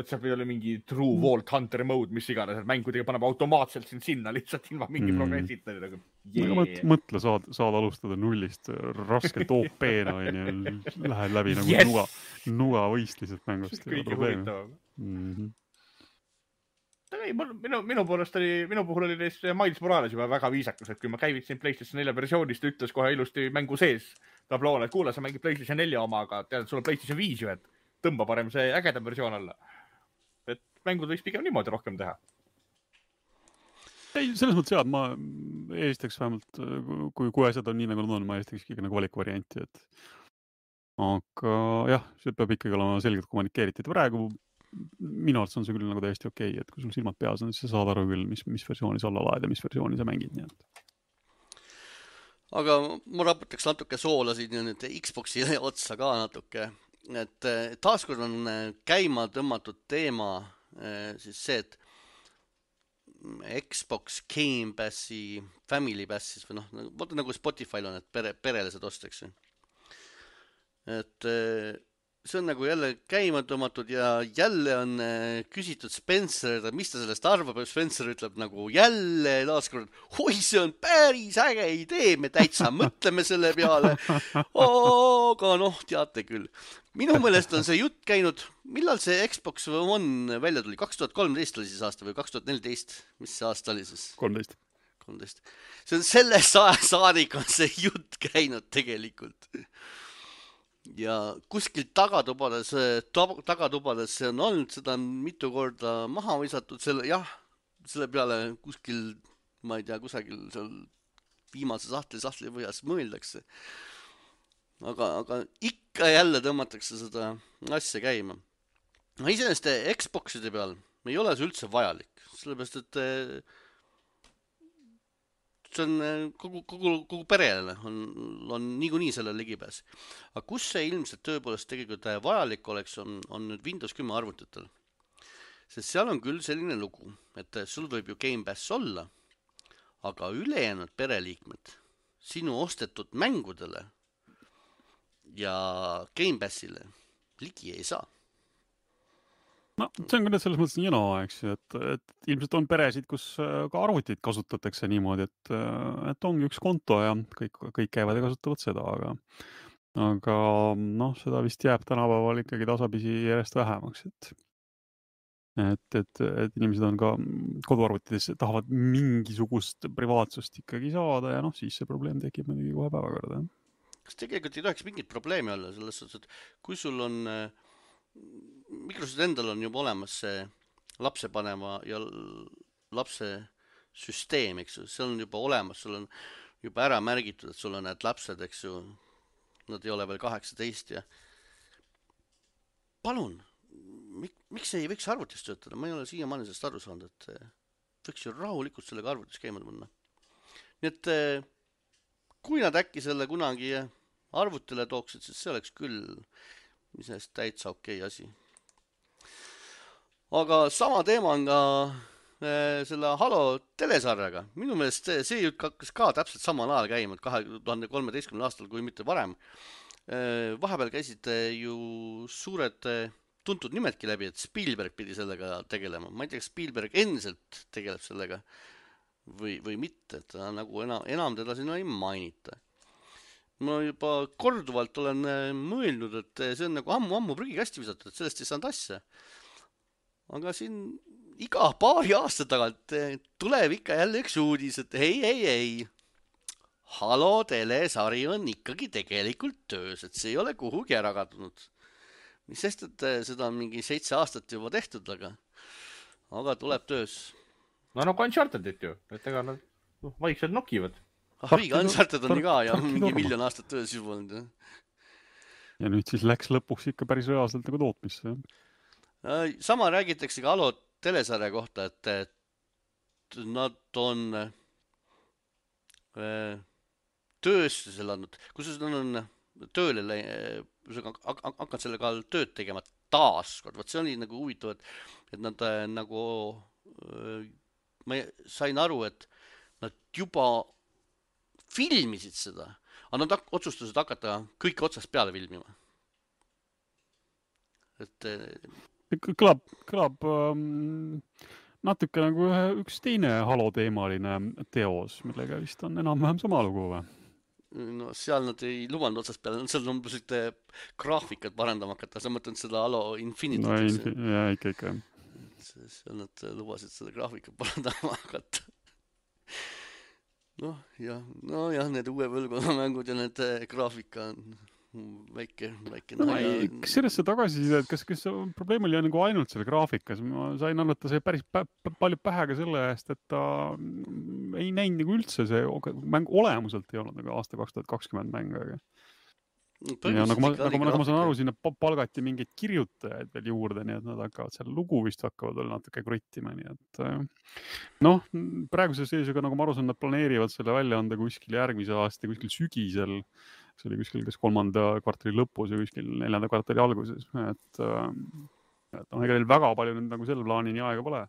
et see oli mingi True Vault Hunter mode, mis iganes, et mäng kuidagi paneb automaatselt siin sinna lihtsalt ilma mingi mm. progressita. Nagu, yeah. mõt, mõtle, saad, saad alustada nullist raskelt O P-na, lähed läbi nagu yes. nuga, nuga võist lihtsalt mängust. Kõige huvitavam. Mm-hmm. Ei, minu, minu poolest oli, minu puhul oli neist Miles Morales juba väga viisakus, et kui ma käivitsin PlayStation nelja versioonist, ütles kohe ilusti mängu sees tabloole, et kuule, sa mängid PlayStation nelja oma, aga tead, sul on PlayStation viis ju, et tõmba parem see ägedam versioon alla. Et mängud võiks pigem niimoodi rohkem teha. Ei, selles mõttes jah, ma eelistaks vähemalt, kui, kui asjad on nii nagu nad on, ma eelistaks ikkagi nagu valikuvarianti. Et... Aga jah, see peab ikkagi olema selgelt kommunikeeritud. Praegu minu arvates on see küll nagu täiesti okei, et kui sul silmad peas on, siis sa saad aru küll, mis, mis versiooni sa alla laed ja mis versiooni sa mängid. Nii et. Aga ma raputaks natuke soolasid ja nüüd Xboxi otsa ka natuke. Et taaskord on käima tõmmatud teema siis see, et Xbox Game Passi, Family Passis või noh, vaata nagu Spotify'l on, et pere, perele saad osteks. Et see on nagu jälle käima tõmmatud ja jälle on küsitud Spencer, mis ta sellest arvab, ja Spencer ütleb nagu jälle taaskord, oi, see on päris äge idee, me täitsa mõtleme selle peale, aga noh, teate küll. Minu meelest on see jutt käinud, millal see Xbox One välja tuli, kaks tuhat kolmteist oli siis aasta või kaks tuhat neliteist, mis see aasta oli siis? kolmteist. kolmteist. See on selle sa- saadik on see jutt käinud tegelikult. Ja kuskil tagatubades, tagatubades see on olnud, seda on mitu korda maha visatud, selle, jah, selle peale kuskil, ma ei tea, kusagil seal viimase sahtli, sahtli põhjas mõeldakse. Aga, aga ikka jälle tõmmatakse seda asja käima. No iseenesest Xboxide peal ei ole see üldse vajalik, sellepärast, et see on kogu, kogu, kogu perele on, on niikuinii selle ligipääs. Aga kus see ilmselt tõepoolest tegelikult vajalik oleks, on, on nüüd Windows kümme arvutitel. Sest seal on küll selline lugu, et sul võib ju Game Pass olla, aga ülejäänud pereliikmed sinu ostetud mängudele ja Game Passile ligi ei saa. No, see on küll selles mõttes nii jana, eks, et, et ilmselt on peresid, kus ka arvutit kasutatakse niimoodi, et, et ongi üks konto ja kõik, kõik käivad ja kasutavad seda, aga, aga noh, seda vist jääb tänapäeval ikkagi tasapisi järjest vähemaks, et, et, et, et inimesed on ka koduarvutides tahavad mingisugust privaatsust ikkagi saada ja noh, siis see probleem tekib muidugi kohe päevakorda. Kas tegelikult ei tohiks mingit probleemi olla selles suhtes, et kui sul on Microsoft endal on juba olemas see lapse panema ja lapse süsteem, eks ju, see on juba olemas, sul on juba ära märgitud, et sul on need lapsed, eks ju, nad ei ole veel kaheksateist ja palun, mik, miks ei võiks arvutist töötada? Ma ei ole siiamaani sellest aru saanud, et võiks ju rahulikult sellega arvutis käima panna. Nii et kui nad äkki selle kunagi arvutile tooksid, siis see oleks küll mis neist täitsa okei asi. Aga sama teema on ka äh, selle Halo telesarjaga. Minu meelest see, see jutt hakkas ka täpselt samal ajal käima, kahe tuhande kolmeteistkümnendal aastal, kui mitte varem. Äh, vahepeal käisid ju suured tuntud nimedki läbi, et Spielberg pidi sellega tegelema. Ma ei tea, Spielberg endiselt tegeleb sellega või, või mitte, et ta nagu enam, enam teda sinna ei mainita. Ma juba korduvalt olen mõelnud, et see on nagu ammu-ammu prügikasti visatud, et sellest ei saanud asja. Aga siin iga paari aasta tagant tuleb ikka jälle üks uudis, et ei, ei, ei. Halo telesari on ikkagi tegelikult töös, et see ei ole kuhugi ära kadunud. mis sest, et seda on mingi seitse aastat juba tehtud, aga, aga tuleb töös. No nagu Unchartedit ju, et ega nad no, vaikselt nokivad. Ah, õige, Uncharted on ka ja mingi miljon aastat töös juba olnud. Ja nüüd siis läks lõpuks ikka päris reaalselt nagu tootmisse. Sama räägitakse ka Halo telesarja kohta, et nad on tööstusel andnud, kus nad on tööle hakanud selle kallal tööd tegema taas kord. Vaat see oli nagu huvitav, et nad nagu, ma sain aru, et nad juba filmisid seda, aga nad otsustasid hakata kõike otsast peale filmima. Et kõlab, kõlab um, natuke nagu üks teine Halo teemaline teos, millega vist on enam-vähem sama lugu või? No seal nad ei lubanud otsast peale, seal on selliste graafikat parandama hakata, sa mõtled seda Halo Infinity. No, infi ja, ikka, ikka. Seal nad lubasid seda graafikat parandama hakata. Noh, jah, no jah, need uue põlvkonna mängud ja need graafika on väike, väike no, naja. Kas sellesse tagasiside, et kas, kas probleem oli nagu ainult selle graafikas? Ma sain aru, et ta sai päris pä palju pähega selle eest, et ta ei näinud nagu üldse see mäng olemuselt ei olnud nagu aasta kaks tuhat kakskümmend mäng, aga ja nagu ma, nagu, nagu ma saan aru, sinna palgati mingeid kirjutajaid veel juurde, nii et nad hakkavad seal lugu vist hakkavad veel natuke kruttima, nii et noh, praeguse seisuga, nagu ma aru saan, nad planeerivad selle välja anda kuskil järgmise aasta, kuskil sügisel, see oli kuskil kas kolmanda kvartali lõpus ja kuskil neljanda kvartali alguses, et, et noh, ega neil väga palju nüüd nagu selle plaanini aega pole.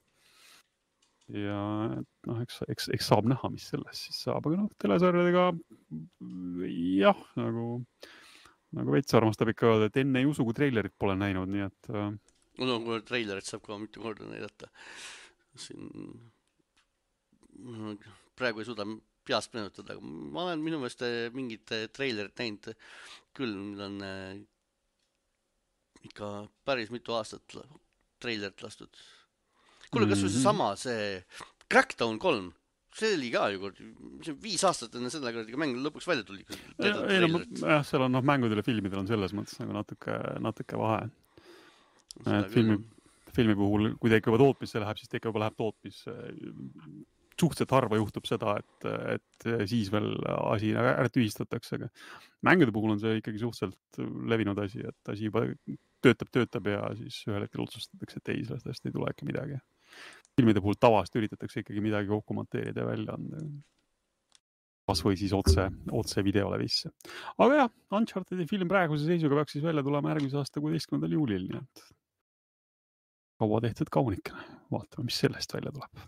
Ja noh, eks, eks, eks saab näha, mis sellest siis saab, aga noh, telesarjadega jah, nagu nagu veits armastab ikka öelda, et enne ei usu, kui treilerit pole näinud, nii et no kui treilerit saab ka mitu korda näidata. Siin praegu ei suuda peast meenutada, aga ma olen minu meelest mingit treilerit näinud küll, mil on ikka päris mitu aastat treilerit lastud. Kuule, kas või see sama, see Crackdown kolm, see oli ka ju kord, viis aastat enne selle korda, mäng lõpuks välja tuli. Ei, no, jah, seal on noh, mängudel ja filmidel on selles mõttes nagu natuke, natuke vahe. Filmi, filmi puhul, kui ta ikka juba tootmisse läheb, siis ta ikka juba läheb tootmisse. Suhteliselt harva juhtub seda, et, et siis veel asi ära tühistatakse, aga mängude puhul on see ikkagi suhteliselt levinud asi, et asi juba töötab, töötab ja siis ühel hetkel otsustatakse, et ei, sellest hästi ei tule äkki midagi. Filmide puhul tavast üritatakse ikkagi midagi kokku monteerida ja välja anda. Kas või siis otse, otse videole visse. Aga jah, Unchartedi film praeguse seisuga peaks siis välja tulema järgmise aasta kuueteistkümnendal juulil, nii et kaua tehtud kaunikene. Vaatame, mis sellest välja tuleb.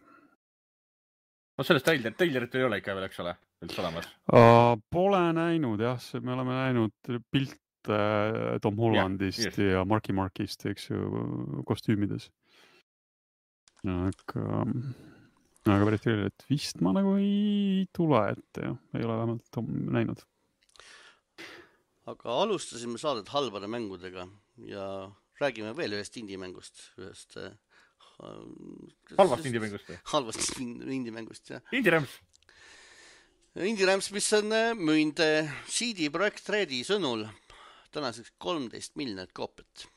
No sellest treilerit, treilerit ei ole ikka veel, eks ole, üldse olemas? Uh, pole näinud, jah, me oleme näinud pilt uh, Tom Hollandist yeah, yes. ja Marky Markist, eks ju, kostüümides. Aga, aga päris teile, et vist ma nagu ei tule ette, jah. Ei ole vähemalt näinud. Aga alustasime saadet halbade mängudega ja räägime veel ühest indie-mängust. Ühest, halvast indie-mängust? Halvast indie-mängust, jah. Indie-Rams? Indie-Rams, mis on müünd C D Projekt Redi sõnul tänaseks kolmteist miljonit koopet.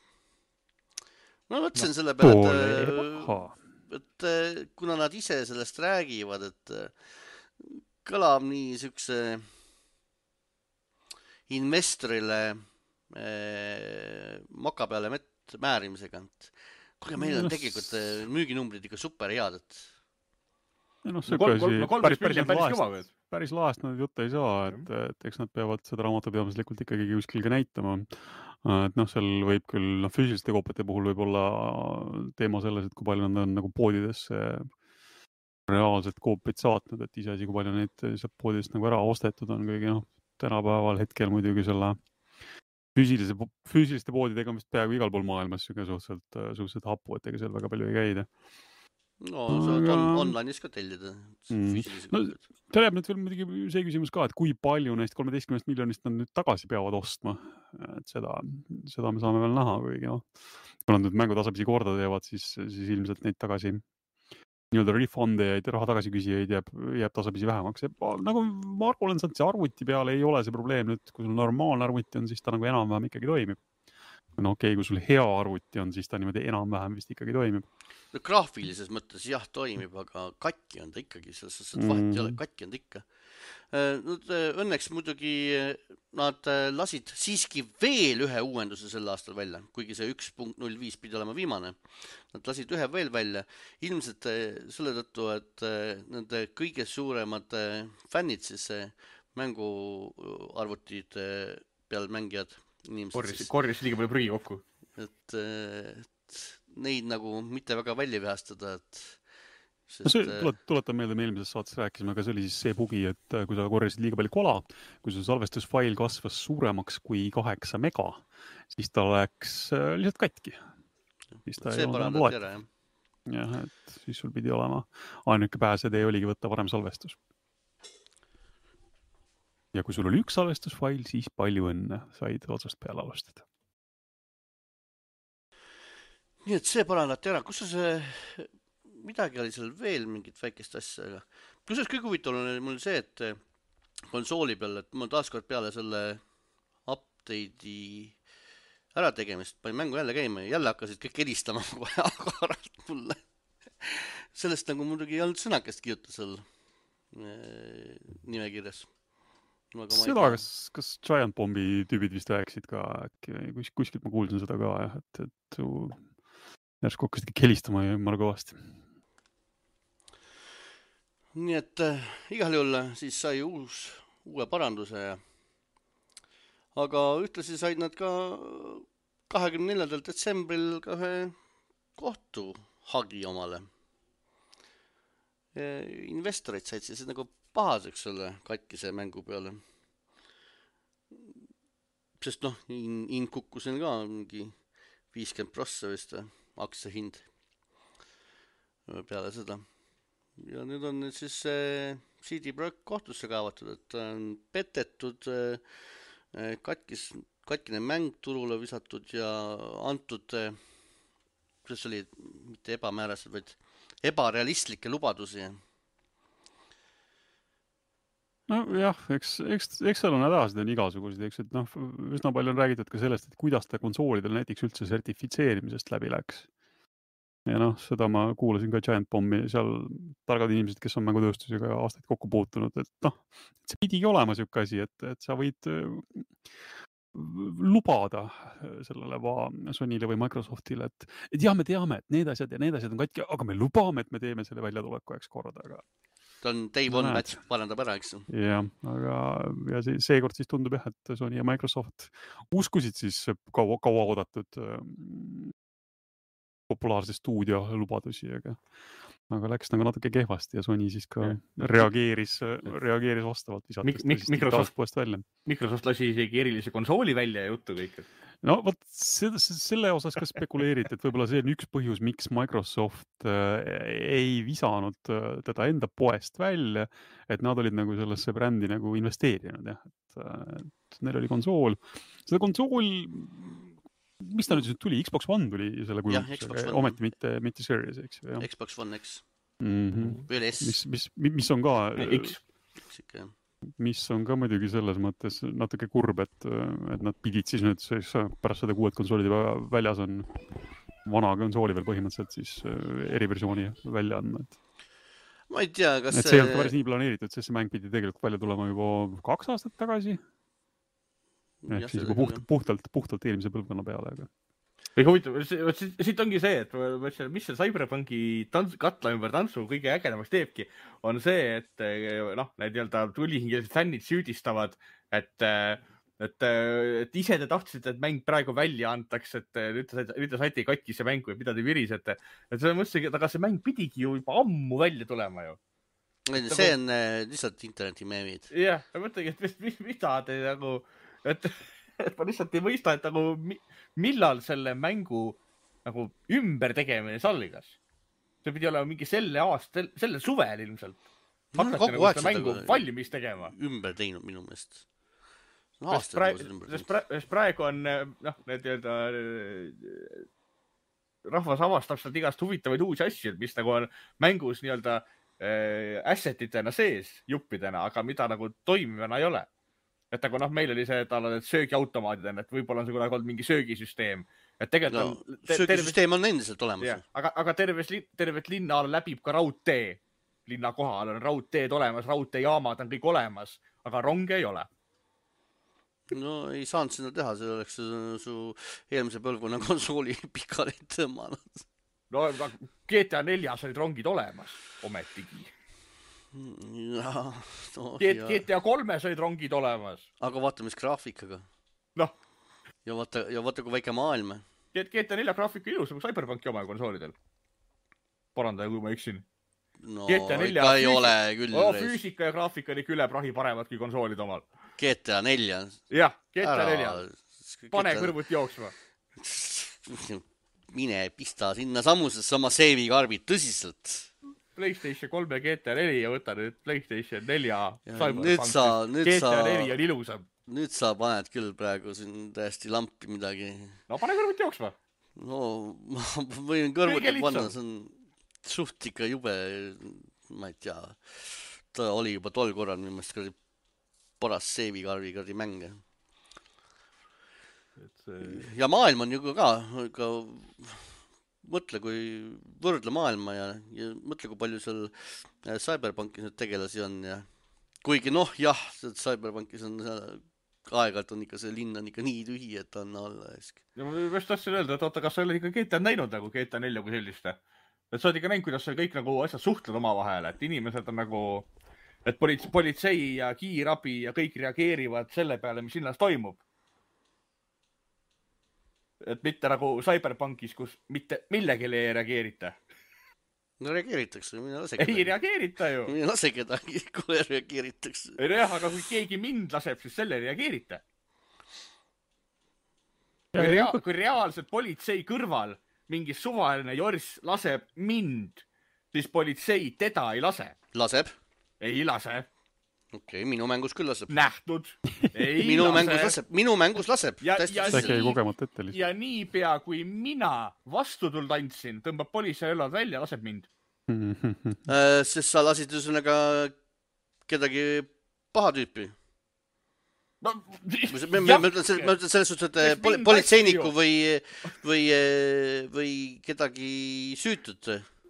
Ma mõtlesin no, selle peale, et et kuna nad ise sellest räägivad, et kõlab nii sükse investorile eh, moka peale mett määrimisega. Kuule, meil on tegelikult müüginumbrid ikka super head, et no, no, kolm, kolm, kolm, päris, päris, päris, päris, päris laest nad juttu ei saa, et, et eks nad peavad seda raamatupidamislikult ikkagi kuskil ka näitama. Et noh, seal võib küll no, füüsiliste koopete puhul võib olla teema selles, et kui palju nad on nagu poodidesse reaalselt koopeid saatnud, et ise asi, kui palju neid sealt poodidest nagu ära ostetud on kõige noh, tänapäeval hetkel muidugi selle füüsilise, füüsiliste poodidega on vist peaaegu igal pool maailmas suhteliselt, suhteliselt hapu, et ega seal väga palju ei käida. No, sa aga... on online'is ka tellida. Mm. No, ta jääb nüüd veel muidugi see küsimus ka, et kui palju neist kolmeteistkümnest miljonist nad nüüd tagasi peavad ostma. Et seda, seda me saame veel näha, kuigi noh, kui nad nüüd mängu tasapisi korda teevad, siis, siis ilmselt neid tagasi nii-öelda refundejaid ja raha tagasi küsijaid jääb, jääb tasapisi vähemaks. Ja, nagu ma olen saanud, see arvuti peale ei ole see probleem nüüd, kui sul normaalne arvuti on, siis ta nagu enam-vähem ikkagi toimib. no okei okay,, kui sul hea arvuti on, siis ta niimoodi enam-vähem vist ikkagi toimib. No, graafilises mõttes jah toimib, aga katki on ta ikkagi, selles suhtes, et vahet ei ole, katki on ta ikka. Nüüd, õnneks muidugi nad lasid siiski veel ühe uuenduse sel aastal välja, kuigi see üks punkt null viis pidi olema viimane. Nad lasid ühe veel välja, ilmselt selle tõttu, et nende kõige suuremad fännid, siis mänguarvutid peal mängijad, inimesed. Korjas liiga palju prügi kokku. Et, et neid nagu mitte väga välja vihastada, et sest... no see, tulet, tuletan meelde, me eelmises saates rääkisime, aga see oli siis see bugi, et kui sa korjasid liiga palju kola, kui su salvestusfail kasvas suuremaks kui kaheksa mega, siis ta läks lihtsalt katki. Siis ta see parandati ära, jah. Jah, et siis sul pidi olema ainuke pääsetee oligi võtta varem salvestus. Ja kui sul oli üks salvestusfail, siis palju õnne said otsast peale alustada. Nii et see parandati ära. Kus see, midagi oli seal veel mingit väikest asja, aga kusjuures kõige huvitav oli mul see, et konsooli peal, et mul taaskord peale selle update'i ära tegemist, panin mängu jälle käima ja jälle hakkasid kõik helistama agaralt mulle. Sellest nagu muidugi ei olnud sõnakest kirjuta seal nimekirjas. Seda, kas, kas Giant Bombi tüübid vist rääkisid ka, äkki kus, kuskilt ma kuulsin seda ka, jah, et, et järsku hakkasid kõik helistama ja jumala kõvasti. Nii et äh, igal juhul siis sai uus, uue paranduse ja aga ühtlasi said nad ka kahekümne neljandal detsembril ka ühe kohtu hagi omale. Ja investorid said siis nagu pahaseks selle katkise mängu peale. Sest noh, in kukkusin ka mingi viiskümmend prossa vist aktsia hind peale seda. Ja nüüd on nüüd siis C D Projekt kohtusse kaevatud, et on petetud katkis, katkine mäng turule visatud ja antud, kuidas oli mitte ebamäärased, vaid ebarealistlikke lubadusi. No jah, eks, eks, eks seal on hädasid on igasugused, eks, et noh, üsna palju on räägitud ka sellest, et kuidas ta konsoolidel näiteks üldse sertifitseerimisest läbi läks. Ja noh, seda ma kuulasin ka Giant Bombi, seal targad inimesed, kes on mängutööstusega aastaid kokku puutunud, et noh, see pidigi olema siuke asi, et, et sa võid lubada sellele Sonyle või Microsoftile, et, et jah, me teame, et need asjad ja need asjad on katki, aga me lubame, et me teeme selle väljatuleku eks korda, aga ta on day one match, parandab ära, eks? Jah, aga ja see, seekord siis tundub jah, et Sony ja Microsoft uskusid siis kaua, kaua oodatud ähm, populaarse stuudio lubadusi, aga, aga läks nagu natuke kehvasti ja Sony siis ka ja. reageeris, reageeris vastavalt visates Mik- Microsoft, Microsoft lasi isegi erilise konsooli välja ja juttu kõik. No vot, selle osas ka spekuleeriti, et võib-olla see on üks põhjus, miks Microsoft ei visanud teda enda poest välja, et nad olid nagu sellesse brändi nagu investeerinud, jah, et, et neil oli konsool. Seda konsool, mis ta nüüd tuli? Xbox One tuli selle kujundusega, ometi mitte, mitte Series, eks ju. Xbox One X. Mm-hmm. Või oli S. Mis, mis, mis on ka... X. X ikka, jah. Mis on ka muidugi selles mõttes natuke kurb, et, et nad pidid siis nüüd pärast seda kuued konsoolid väljas on vana konsooli veel põhimõtteliselt siis eriversiooni välja andma. Et, ma ei tea, kas et see ei olnud päris nii planeeritud, sest see mäng pidi tegelikult välja tulema juba kaks aastat tagasi. Ehk siis juba puht, puhtalt, puhtalt eelmise põlvkonna peale. Aga... Väga huvitav, siit ongi see, et mis see Cyberpunki tants, katla ümber tantsu kõige ägedamaks teebki, on see, et noh, need nii-öelda tulihingelised fännid süüdistavad, et, et, et ise te tahtsite, et mäng praegu välja antaks, et nüüd te, nüüd te saite katkise mängu ja mida te virisete. Et see mõtlesin, aga see mäng pidigi ju juba ammu välja tulema ju. See on lihtsalt interneti meemid. Jah, ma mõtlengi, et mis, mida te nagu... Et, et ma lihtsalt ei mõista, et nagu millal selle mängu nagu ümber tegemine salgas. See pidi olema mingi selle aasta, selle suvel ilmselt. Hakati nagu seda mängu valmis tegema. Ümber teinud minu meelest. Sest praegu, praegu on noh, need öelda, rahvas avastab sealt igast huvitavaid uusi asju, mis nagu on mängus nii-öelda assetitena sees juppidena, aga mida nagu toimivana ei ole. et aga noh, meil oli see, et tal on söögiautomaadid on, et võib-olla on see kunagi olnud mingi söögisüsteem. Et tegelikult no, on... Söögisüsteem on endiselt olemas. Yeah, aga, aga terves, tervet linna läbib ka raudtee. Linna kohal on raudteed olemas, raudteejaamad on kõik olemas, aga ronge ei ole. No ei saanud sinna teha, see oleks su, su eelmise põlvkonna konsooli pikali tõmmanud. No G T A neljas olid rongid olemas, ometigi. Ja, no, G T A kolmes olid rongid olemas. Aga vaata, mis graafikaga. Noh. Ja vaata, ja vaata kui väike maailm. G T A nelja graafika ilus, nagu Cyberpunki oma konsoolidel. Parandaja, kui ma eksin. No ikka ei füüsika, ole küll. Oh, füüsika ja graafika oli küle prahi paremad kui konsoolid omal. G T A nelja. Jah, G T A nelja. Pane kõrvut jooksma. Mine pista sinna samusesse oma save karbid tõsiselt. PlayStation kolm ja G T A neli ja võta nüüd PlayStation nelja. Nüüd sa, nüüd G T A sa, neli on ilusam. Nüüd sa paned küll praegu siin täiesti lampi midagi. No pane kõrvut jooksma. No ma võin kõrvuti panna, see on suht ikka jube, ma ei tea, ta oli juba tol korral minu meelest kõrdi paras save karvi mänge. Ja maailm on ju ka, ka mõtle, kui võrdle maailma ja, ja mõtle, kui palju seal Cyberpunkis nüüd tegelasi on ja kuigi noh, jah, Cyberpunkis on aeg-ajalt on ikka see linn on ikka nii tühi, et on alla esk. Ja ma just tahtsin öelda, et oota, kas sa oled ikka G T A näinud nagu G T A nelja kui sellist? Et sa oled ikka näinud, kuidas kõik nagu asjad suhtled oma vahel, et inimesed on nagu, et politsei ja kiirabi ja kõik reageerivad selle peale, mis linnas toimub. Et mitte nagu Cyberpunkis, kus mitte millegile ei reageerita. No reageeritakse, mina lase kedagi. Ei reageerita ju. Mina lase kedagi, kui reageeritakse. Ei jah, aga kui keegi mind laseb, siis selle reageerita. Kui, rea kui reaalselt politsei kõrval mingi suvaline jorss laseb mind, siis politsei teda ei lase. Laseb? Ei lase. Okei, okay, minu mängus küll laseb. Nähtud. Ei minu lase. Mängus laseb. Minu mängus laseb. Ja, ja, nii, kogemata ette lihtsalt. Ja niipea, kui mina vastu tuld andsin, tõmbab politsei õllad välja, laseb mind. äh, sest sa lasid üsõnaga kedagi paha tüüpi. No, ma, ma, ma ütlen selles suhtes, et pol politseiniku või, või, või kedagi süütut.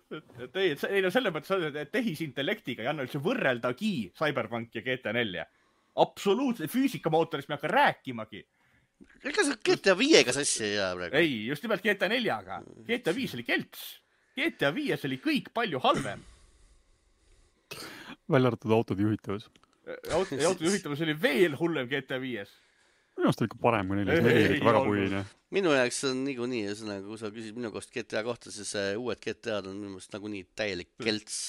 Et ei, ei no selle mõttes, et tehisintellektiga ei anna üldse võrreldagi Cyberpunk ja G T A nelja. Absoluutselt, füüsikamootorist me hakka rääkimagi. Ega sa G T A viiega sassi ei jää praegu? Ei, just nimelt G T A neljaga. G T A viis oli kelts. G T A viies oli kõik palju halvem. Välja arvatud autode juhitavus. Auto, auto juhitavus oli veel hullem G T A viies. Minu arust oli ikka parem kui neljas, neli oli väga puine. Minu jaoks on nigu nii, kui sa küsid minu kost G T A kohta, siis uued G T A-d on minu meelest nagu nii täielik kelts.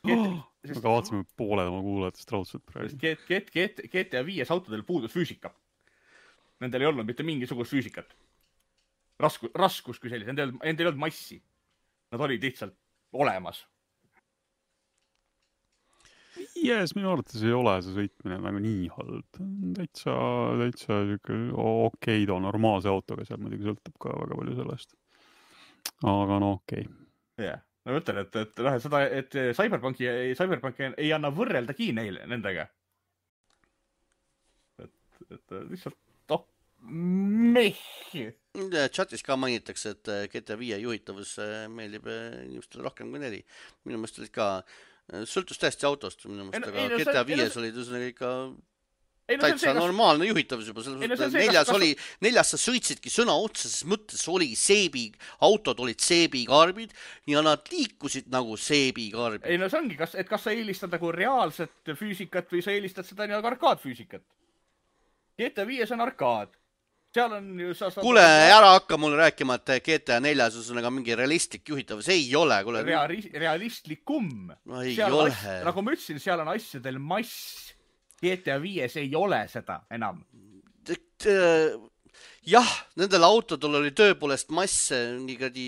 Oh, me kavatseme pooled oma kuulajatest raudselt praegu. G T A viies autodel puudus füüsika. Nendel ei olnud mitte mingisugust füüsikat. Raskus, raskus kui sellis. Nendel, nendel ei olnud massi. Nad olid lihtsalt olemas. Yes, minu arvates ei ole see sõitmine nagu nii halb. Täitsa, täitsa okei okay, too normaalse autoga, seal muidugi sõltub ka väga palju sellest. Aga no okei. Okay. Yeah. No ütlen, et, et, et, seda, et Cyberpunki, Cyberpunki ei anna võrreldagi neile, nendega. Et, et lihtsalt, oh, meh. Chatis ka mainitakse, et G T A viie juhitavus meeldib inimestele rohkem kui neli. Minu meelest olid ka sõltus täiesti autost minu mõist, aga no, G T A viies oli tõsõnaga ikka ei, no, täitsa see, normaalne juhitavus juba. Ei, no, see, neljas, kas... oli, neljas sa sõitsidki sõna otseses mõttes, oli seebi, autod olid seebikarbid ja nad liikusid nagu seebikarbid. Ei no see ongi, kas, et kas sa eelistad nagu reaalset füüsikat või sa eelistad seda nii arkaadfüüsikat. G T A viies on arkaad. Seal on ju... Sa, sa... Kule, ära hakka mulle rääkima, et G T A neljas on nagu mingi realistlik juhitavus. Ei ole. Kule... Rea realistlikum. No ei seal ole. Asj... Nagu ma ütlesin, seal on asjadel mass. G T A viies ei ole seda enam. Et, äh, jah, nendel autodel oli tööpoolest mass, nii kõdi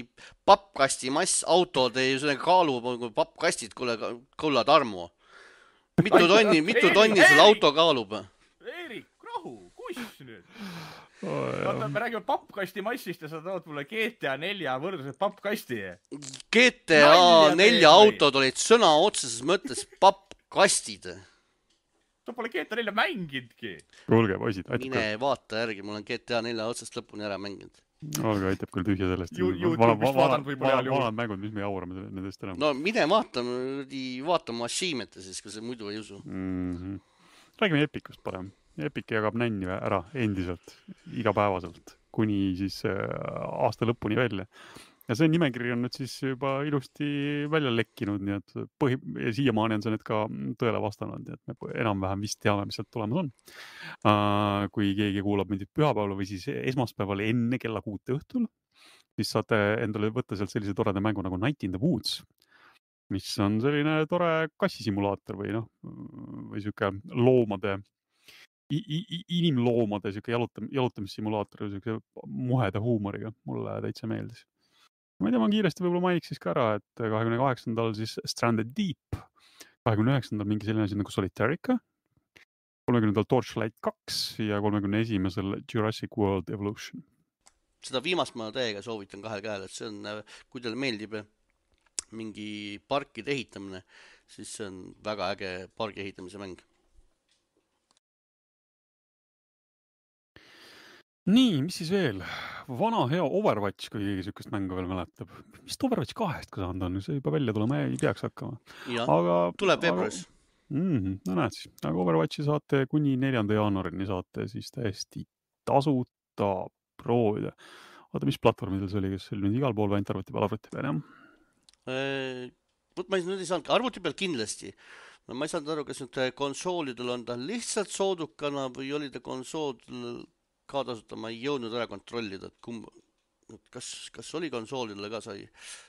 pappkasti mass, autod ei kaalu pappkastid, kuule, kulla Tarmo. Mitu tonni, mitu tonni sul auto kaalub? Eerik, rahu, kus nüüd? Vaata, me räägime pappkasti massist ja sa tood mulle G T A nelja võrdluses pappkasti. G T A nelja autod olid sõna otseses mõttes pappkastid. sa pole G T A nelja mängidki. Kuulge, poisid, aitab mine vaata järgi, mul on G T A nelja otsast lõpuni ära mänginud. Olge, aitab küll tühja sellest. YouTube'ist vaadanud võib-olla heal juhul. Vanad mängud, mis me jaurame nendest enam. No mine vaatame, vaatame achievement'e siis, kui see muidu ei usu. Mm-hmm. Räägime Epicust parem. Epic jagab nänni ära endiselt, igapäevaselt, kuni siis aasta lõpuni välja. Ja see nimekiri on nüüd siis juba ilusti välja lekkinud, nii et põhi... ja siiamaani on see nüüd ka tõele vastanud, nii et me enam-vähem vist teame, mis sealt tulemas on. Uh, kui keegi kuulab mindid pühapäeval või siis esmaspäeval enne kella kuute õhtul, siis saate endale võtta sealt sellise toreda mängu nagu Night in the Woods, mis on selline tore kassisimulaator või noh, või siuke loomade, inimloomade siuke jalutam, jalutamissimulaator või siuke muheda huumoriga. Mulle täitsa meeldis. Ma ei tea, ma kiiresti võib-olla mainiks siis ka ära, et kahekümne kaheksandal siis Stranded Deep, kahekümne üheksandal mingi selline asi nagu Solitarica, kolmekümnendal Torchlight kaks ja kolmekümne esimesel Jurassic World Evolution. Seda viimast ma täiega soovitan kahel käel, et see on, kui teile meeldib mingi parkide ehitamine, siis see on väga äge pargi ehitamise mäng. Nii, mis siis veel? Vana hea Overwatch, kui keegi sükest mängu veel mäletab. Mis Overwatch kahest ka saanud on? See juba välja tulema ei peaks hakkama. Ja, aga, tuleb veebruaris. Mm, no näed siis. Aga Overwatchi saate kuni neljanda jaanuarini saate siis täiesti tasuta proovida. Oota, mis platvormidel see oli, kes oli nüüd igal pool väint arvuti peal, arvuti peal, jah? Võt, ma nüüd ei saanud, arvuti peal kindlasti. Ma ei saanud aru, kas nüüd konsoolidel on ta lihtsalt soodukana või oli ta konsoolidel ka tasuta, ma ei jõudnud ära kontrollida, et kumb, kas, kas oli konsoolidele ka sai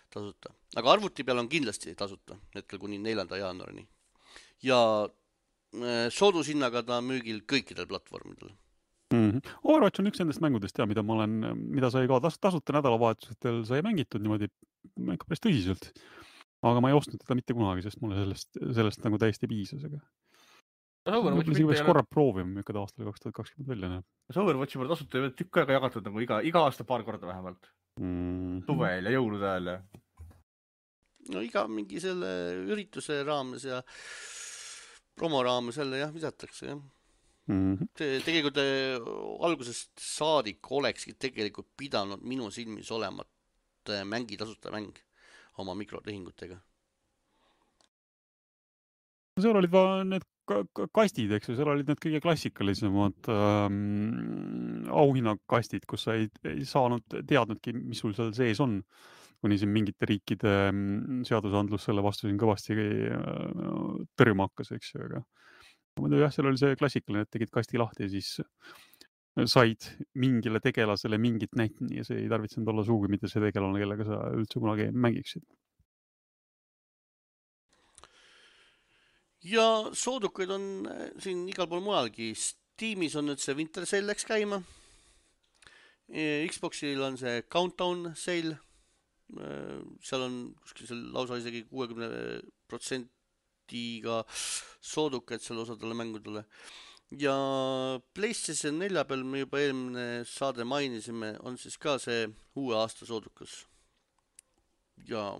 tasuta. Aga arvuti peal on kindlasti tasuta, hetkel kuni neljanda jaanuarini. Ja soodushinnaga ta müügil kõikidel platvormidel. Mm-hmm. Overwatch on üks nendest mängudest, ja, mida ma olen, mida sai ka tas, tasuta nädalavahetusetel sai mängitud niimoodi ikka päris tõsiselt. Aga ma ei ostnud teda mitte kunagi, sest mulle sellest, sellest nagu täiesti piisas. Aga... Overwatch võiks korra proovima, mükada aastal kaks tuhat kakskümmend välja näeb. Overwatchi pole tasuta ei tükk aega jagatud nagu iga, iga aasta paar korda vähemalt. Mm-hmm. Suvel ja jõulude ajal. No iga mingi selle ürituse raames ja promo raames jälle jah, visatakse jah. Mm-hmm. Te, tegelikult algusest saadik olekski tegelikult pidanud minu silmis olemat mängi tasuta mäng oma mikrotehingutega. Seal olid va need kastid, eks ju, seal olid need kõige klassikalisemad ähm, auhinnakastid, kus sa ei, ei saanud teadnudki, mis sul seal sees on, kuni siin mingite riikide seadusandlus selle vastu siin kõvasti äh, tõrjuma hakkas, eks ju, aga muidu jah, seal oli see klassikaline, et tegid kasti lahti ja siis said mingile tegelasele mingit näitni ja see ei tarvitsenud olla suugi mitte see tegelane, kellega sa üldse kunagi mängiksid. Ja soodukaid on siin igal pool mujalgi. Steamis on nüüd see Winter Sale läks käima. Xboxil on see Countdown Sale. Seal on kuskil lausa isegi kuuekümne protsentiga soodukaid selle osadele mängudele. Ja PlayStation nelja peal me juba eelmine saade mainisime, on siis ka see uue aasta soodukas. Ja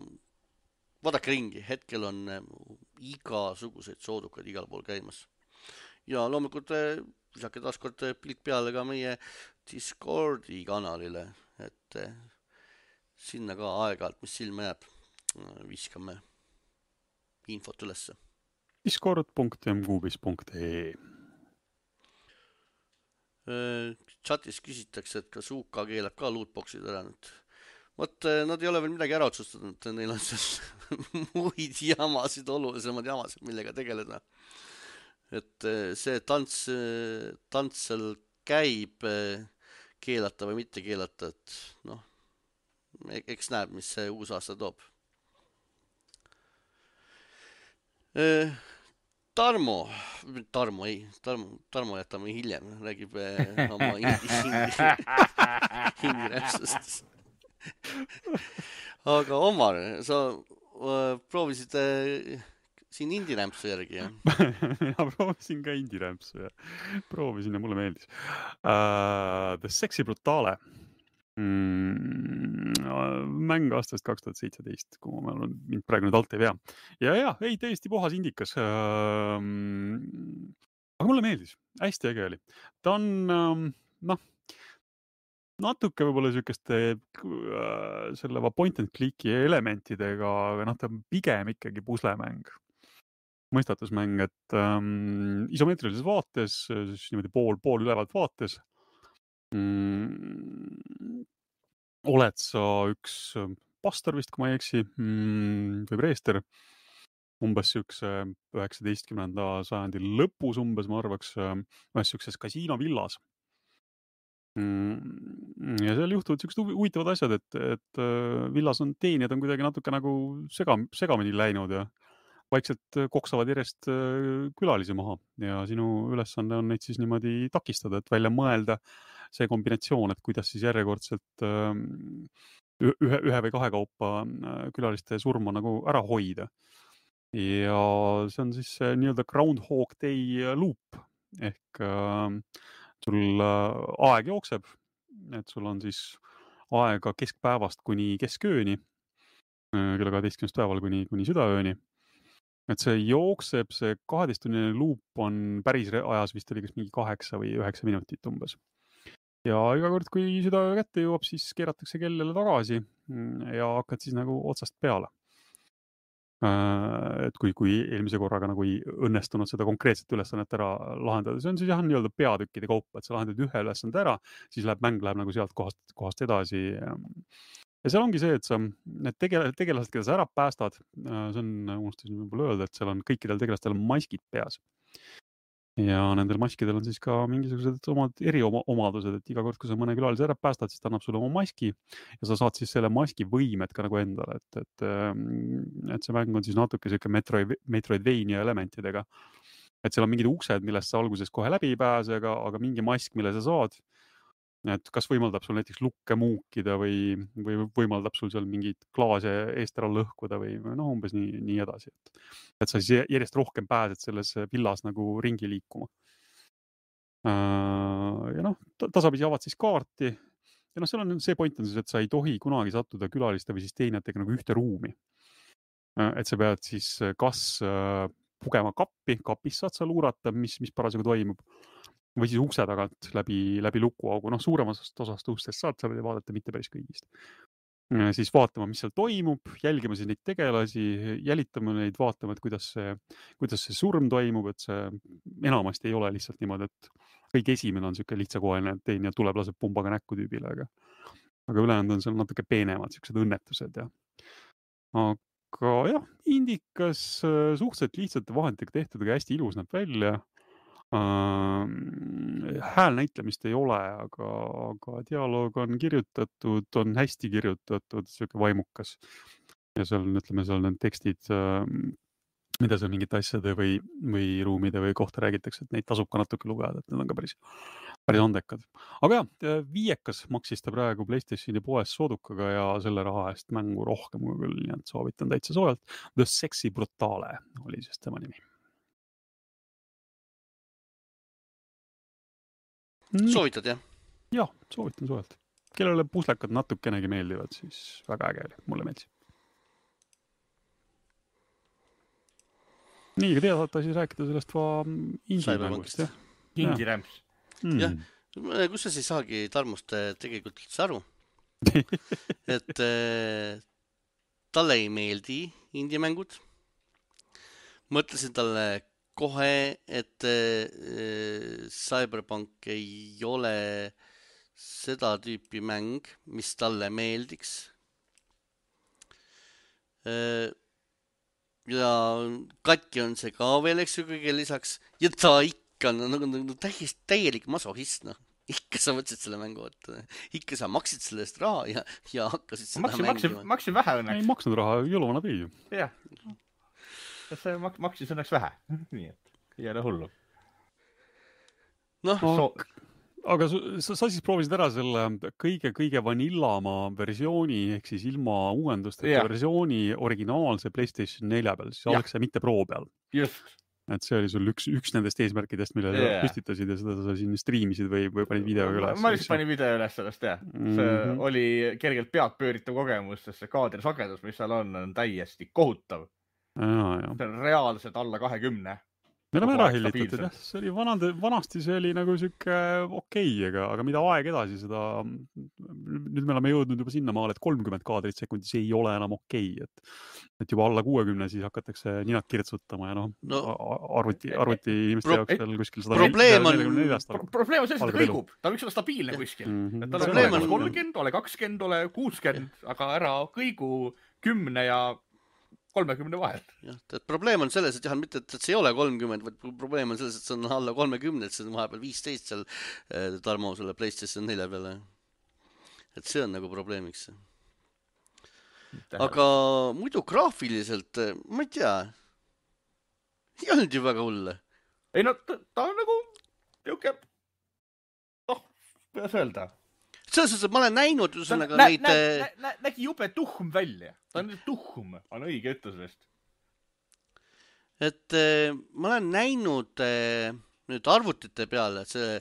vaadake ringi, hetkel on igasuguseid soodukaid igal pool käimas. Ja loomulikult visake taaskord pilk peale ka meie Discordi kanalile, et sinna ka aeg-ajalt, mis silma jääb, viskame infot ülesse. discord punkt m kuubis punkt e Chatis küsitakse, et kas U K keelab ka lootboxid ära nüüd. Vot, nad ei ole veel midagi ära otsustanud, neil on seal muid jamasid, olulisemad jamasid, millega tegeleda. Et see tants, tants seal käib keelata või mitte keelata, et noh, eks näeb, mis see uus aasta toob. Tarmo, Tarmo ei, Tarmo, Tarmo jätame hiljem, räägib oma hingiräpsust. Aga Omar, sa uh, proovisid uh, siin indirämpsu järgi, jah? Ja proovisin ka indirämpsu ja proovisin ja mulle meeldis. Uh, The Sexy Brutale. Mm, mäng aastast kaks tuhat seitseteist, kui ma olen mind praegu nüüd alt ei vea. Ja ja, ei, täiesti puhas indikas. Uh, mulle meeldis, hästi äge oli. Ta on, noh, natuke võib-olla niisugust selle point and click'i elementidega, aga noh, ta on pigem ikkagi puslemäng. Mõistatusmäng, et ähm, isomeetrilises vaates, siis niimoodi pool, pool ülevalt vaates mm, oled sa üks pastor vist, kui ma ei eksi, mm, või preester, umbes siukse üheksateistkümnenda sajandi lõpus umbes, ma arvaks, ühes siukses kasiinovillas. Mm, ja seal juhtuvad siuksed huvitavad asjad, et, et villas on teenijad on kuidagi natuke nagu sega, segamini läinud ja vaikselt koksavad järjest külalisi maha ja sinu ülesanne on neid siis niimoodi takistada, et välja mõelda see kombinatsioon, et kuidas siis järjekordselt ühe, ühe või kahe kaupa külaliste surma nagu ära hoida. Ja see on siis nii-öelda Groundhog Day loop ehk sul aeg jookseb, et sul on siis aega keskpäevast kuni keskööni, kella kaheteistkümnest päeval kuni, kuni südaööni. Et see jookseb, see kaheteisttunnine loop on päris ajas vist oli kas mingi kaheksa või üheksa minutit umbes. Ja iga kord, kui südaöö kätte jõuab, siis keeratakse kell jälle tagasi ja hakkad siis nagu otsast peale. Et kui, kui eelmise korraga nagu ei õnnestunud seda konkreetset ülesannet ära lahendada, see on siis jah nii-öelda peatükkide kaupa, et sa lahendad ühe ülesande ära, siis läheb mäng läheb nagu sealt kohast, kohast edasi. Ja seal ongi see, et sa need tegel- tegelased, keda sa ära päästad, see on, unustasin võib-olla öelda, et seal on kõikidel tegelastel maskid peas. Ja nendel maskidel on siis ka mingisugused omad eriomadused, et iga kord, kui sa mõne külalise ära päästad, siis ta annab sulle oma maski ja sa saad siis selle maski võimed ka nagu endale, et, et, et see mäng on siis natuke selline Metroid, Metroidvania elementidega. Et seal on mingid uksed, millest sa alguses kohe läbi ei pääse, aga, aga mingi mask, mille sa saad, et kas võimaldab sul näiteks lukke muukida või, või võimaldab sul seal mingid klaase eest ära lõhkuda või noh, umbes nii, nii edasi. Et, et sa siis järjest rohkem pääsed selles villas nagu ringi liikuma. Ja noh, tasapisi avad siis kaarti ja noh, seal on see point on siis, et sa ei tohi kunagi sattuda külaliste või siis teenijatega nagu ühte ruumi. Et sa pead siis kas pugema kappi, kapis saad sa luurata, mis, mis parasjagu toimub, või siis ukse tagant läbi, läbi lukuaugu. Noh, suuremast osast ustest saad sa vaadata, mitte päris kõigist. Siis vaatama, mis seal toimub, jälgima siis neid tegelasi, jälitama neid, vaatama, et kuidas see, kuidas see surm toimub, et see enamasti ei ole lihtsalt niimoodi, et kõik esimene on siuke lihtsakohaline, et teinija tuleb, laseb pumbaga näkku tüübile, aga, aga ülejäänud on seal natuke peenemad, siuksed õnnetused ja aga jah, indikas suhteliselt lihtsate vahenditega tehtud, aga hästi ilus näeb välja. Uh, hääl näitlemist ei ole, aga, aga dialoog on kirjutatud, on hästi kirjutatud, siuke vaimukas. Ja seal, ütleme, seal need tekstid, uh, mida seal mingite asjade või, või ruumide või kohta räägitakse, et neid tasub ka natuke lugeda, et need on ka päris, päris andekad. Aga jah, viiekas maksis ta praegu PlayStationi poes soodukaga ja selle raha eest mängu rohkem kui küll, nii et soovitan täitsa soojalt. The Sexy Brutale oli siis tema nimi. Soovitad, jah? Jah, soovitan soojalt. Kellele puslekad natukenegi meeldivad, siis väga äge oli. Mulle meeldis. Nii, aga tead, saate siis rääkida sellest va indie-mängust, jah? Indie-rämps. Mm. Jah, kus sa siis saagi Tarmust tegelikult üldse aru? et äh, talle ei meeldi indie-mängud. Mõtlesin talle kohe, et äh, Cyberpunk ei ole seda tüüpi mäng, mis talle meeldiks. Äh, ja katki on see ka veel, eks ju, kõige lisaks. Ja ta ikka on nagu, nagu täiesti täielik masohist, noh. Ikka sa võtsid selle mängu, et ikka sa maksid selle eest raha ja, ja hakkasid seda maksin, mängima. Maksin, maksin vähe õnneks. Ei maksnud raha, jõluvana pii ju. Jah. See mak- maksis õnneks vähe. Nii et ei ole hullu. Noh, so... aga sa, sa siis proovisid ära selle kõige, kõige vanillamaa versiooni, ehk siis ilma uuendusteta yeah. versiooni originaalse PlayStation nelja peal, siis oleks see mitte Pro peal. Just. Et see oli sul üks, üks nendest eesmärkidest, mille yeah. püstitasid ja seda sa siin striimisid või, või panid video üles. Ma lihtsalt panin video üles sellest, jah. See mm-hmm. oli kergelt pead pööritav kogemus, sest see kaadrisagedus, mis seal on, on täiesti kohutav. Ja, ja. See on reaalselt alla kahekümne. me oleme Kogu ära aeg hillitatud, stabiilselt. jah, see oli vanade, vanasti see oli nagu sihuke okei, aga, aga mida aeg edasi, seda nüüd me oleme jõudnud juba sinna maale, et kolmkümmend kaadrit sekundis ei ole enam okei, et, et juba alla kuuekümne siis hakatakse ninad kirtsutama ja noh, No, arvuti, arvuti inimeste pro- jaoks veel kuskil sada probleem on- nelikümmend Pro probleem on selles, et ta algab elu. kõigub, ta võiks olla stabiilne kuskil. Mhm. Et ta Probleem on on- kolmkümmend, ole kakskümmend, ole kuuskümmend, aga ära kõigu kümne ja kolmekümne vahel. jah, et probleem on selles, et jah, mitte, et see ei ole kolmkümmend, vaid probleem on selles, et see on alla kolmekümne, et see on vahepeal viisteist seal eh, Tarmo selle PlayStation nelja peale. Et see on nagu probleemiks. Aga muidu graafiliselt, eh, ma ei tea, ei olnud ju väga hulle. ei no ta, ta on nagu niuke, noh, kuidas öelda. Selles suhtes, et ma olen näinud Ta ühesõnaga nä, neid nä, eh, nä, nä, nägi jube tuhm välja. Ta on tuhm, on õige ütlus vist. et eh, ma olen näinud eh, nüüd arvutite peale, et see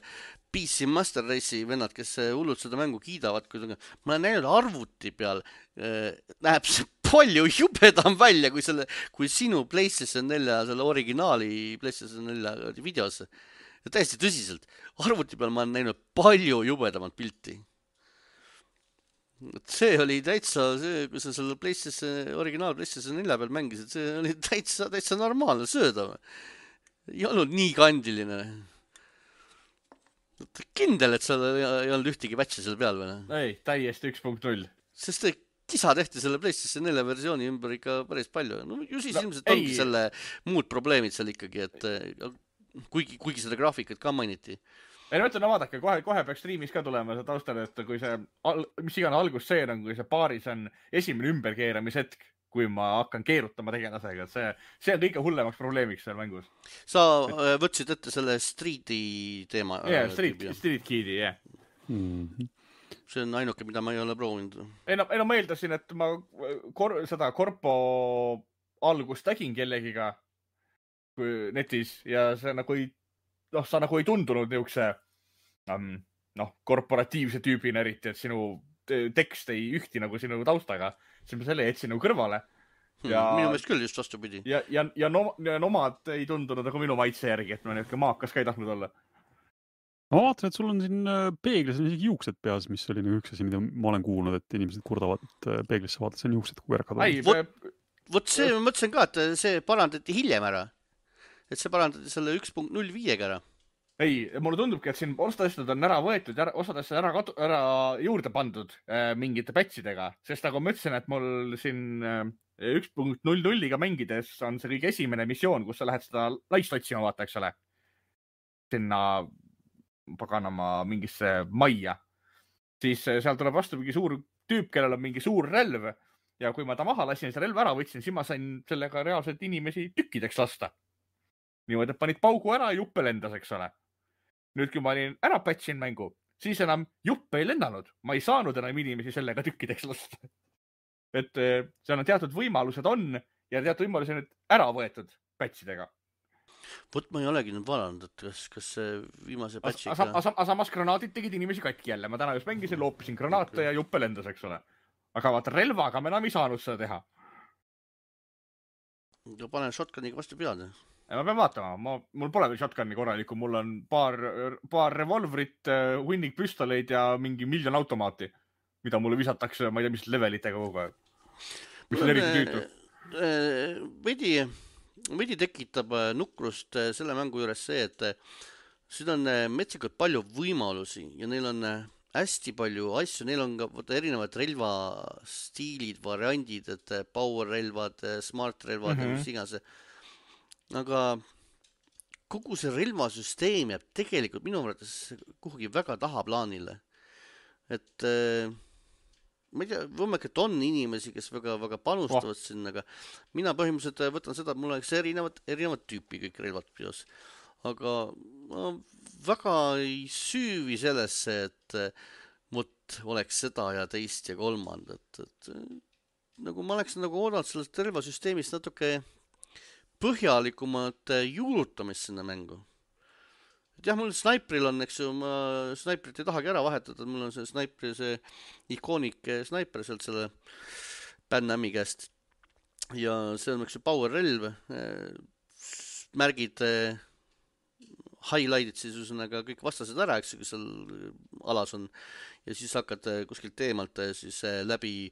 P C Master Race'i vennad, kes eh, hullult seda mängu kiidavad, kui ma olen näinud arvuti peal, eh, näeb see palju jubedam välja kui selle, kui sinu PlayStation nelja, selle originaali PlayStation nelja videos. Ja täiesti tõsiselt, arvuti peal ma olen näinud palju jubedamat pilti. Et see oli täitsa, see, kui sa selle PlayStation, originaal PlayStation nelja peal mängisid, see oli täitsa, täitsa normaalne söödav. Ei olnud nii kandiline. Kindel, et seal ei ei olnud ühtegi patchi seal peal või? ei, täiesti üks punkt null. Sest see kisa tehti selle PlayStation nelja versiooni ümber ikka päris palju. No ju siis No, ilmselt ei. ongi selle muud probleemid seal ikkagi, et eh, kuigi, kuigi seda graafikat ka mainiti. ei no ütlen, no vaadake, kohe, kohe peaks streamis ka tulema see taustal, et kui see, al, mis iganes algusseen on, kui see paaris on esimene ümberkeeramishetk, kui ma hakkan keerutama tegelasega, et see, see on kõige hullemaks probleemiks seal mängus. Sa eh, võtsid ette selle Streeti teema. jah yeah,, Street, Street Kid'i, jah yeah. Mhm. See on ainuke, mida ma ei ole proovinud. ei no, ei no ma eeldasin, et ma kor, seda korpo algust tegin kellegiga kui netis ja see nagu ei, noh, sa nagu ei tundunud niukse, um, noh, korporatiivse tüübina eriti, et sinu te- tekst ei ühti nagu sinu taustaga, siis ma selle jätsin nagu kõrvale. Hmm, Ja- minu meelest küll just vastupidi. Ja, ja, ja, no, ja nomad ei tundunud nagu minu maitse järgi, et ma niuke maakas ka ei tahtnud olla. ma vaatan, et sul on siin äh, peeglis on isegi juuksed peas, mis oli nagu üks asi, mida ma olen kuulnud, et inimesed kurdavad, et äh, peeglisse vaadates on juuksed kogu aeg ei, kadunud. Vot- Vot see, ma mõtlesin ka, et see parandati hiljem ära. Et see parandati selle üks punkt null viiega ära. ei, mulle tundubki, et siin osad asjad on ära võetud ja osad asjad ära, kadu- ära juurde pandud äh, mingite patchidega, sest nagu ma ütlesin, et mul siin äh, üks punkt null nulliga mängides on see kõige esimene missioon, kus sa lähed seda laist otsima, vaata, eks ole. Sinna paganama mingisse majja. Siis äh, seal tuleb vastu mingi suur tüüp, kellel on mingi suur relv ja kui ma ta maha lasin, see relv ära võtsin, siis ma sain sellega reaalselt inimesi tükkideks lasta. Niimoodi, et panid paugu ära ja juppe lendas, eks ole. Nüüd, kui ma olin ära patchin mängu, siis enam juppe ei lennanud. Ma ei saanud enam inimesi sellega tükkideks lasta. Et seal on teatud võimalused on ja teatud võimalused on nüüd ära võetud patchidega. Vot ma ei olegi nüüd vaadanud, et kas, kas see viimase Aga patchiga... as, as, samas granaadid tegid inimesi katki jälle. Ma täna just mängisin, loopisin granaate ja juppe lendas, eks ole. Aga vaata, relvaga me enam ei saanud seda teha. Ja panen shotguniga vastu pead. Ja ma pean vaatama, ma, mul pole veel shotgunni korralikku, mul on paar, paar revolvrit, hunnik püstoleid ja mingi miljon automaati, mida mulle visatakse, ma ei tea, mis levelitega kogu aeg. Mis on eriti tüütu. Veidi, veidi tekitab nukrust selle mängu juures see, et siin on metsikult palju võimalusi ja neil on hästi palju asju, neil on ka võtta, erinevad relvastiilid, variandid, et power relvad, smart relvad mm -hmm. ja mis iganes. Aga kogu see relvasüsteem jääb tegelikult minu mõttes kuhugi väga tahaplaanile. Et ma ei tea, võimekalt on inimesi, kes väga, väga panustavad oh. sinna, aga mina põhimõtteliselt võtan seda, et mul oleks erinevad, erinevad tüüpi kõik relvad peos. Aga ma väga ei süüvi sellesse, et mut oleks seda ja teist ja kolmandat. Et, nagu ma oleks nagu oodanud sellest relvasüsteemist natuke põhjalikumat juurutamist sinna mängu. Et jah, mul snaipril on, eks ju, ma snaiprit ei tahagi ära vahetada, mul on see snaipri, see ikoonik snaiper sealt selle Pan Ami käest. Ja see on, eks ju, power relv. märgid highlight'id siis üsnaga kõik vastased ära, eks, kui seal alas on ja siis hakkad kuskilt eemalt siis läbi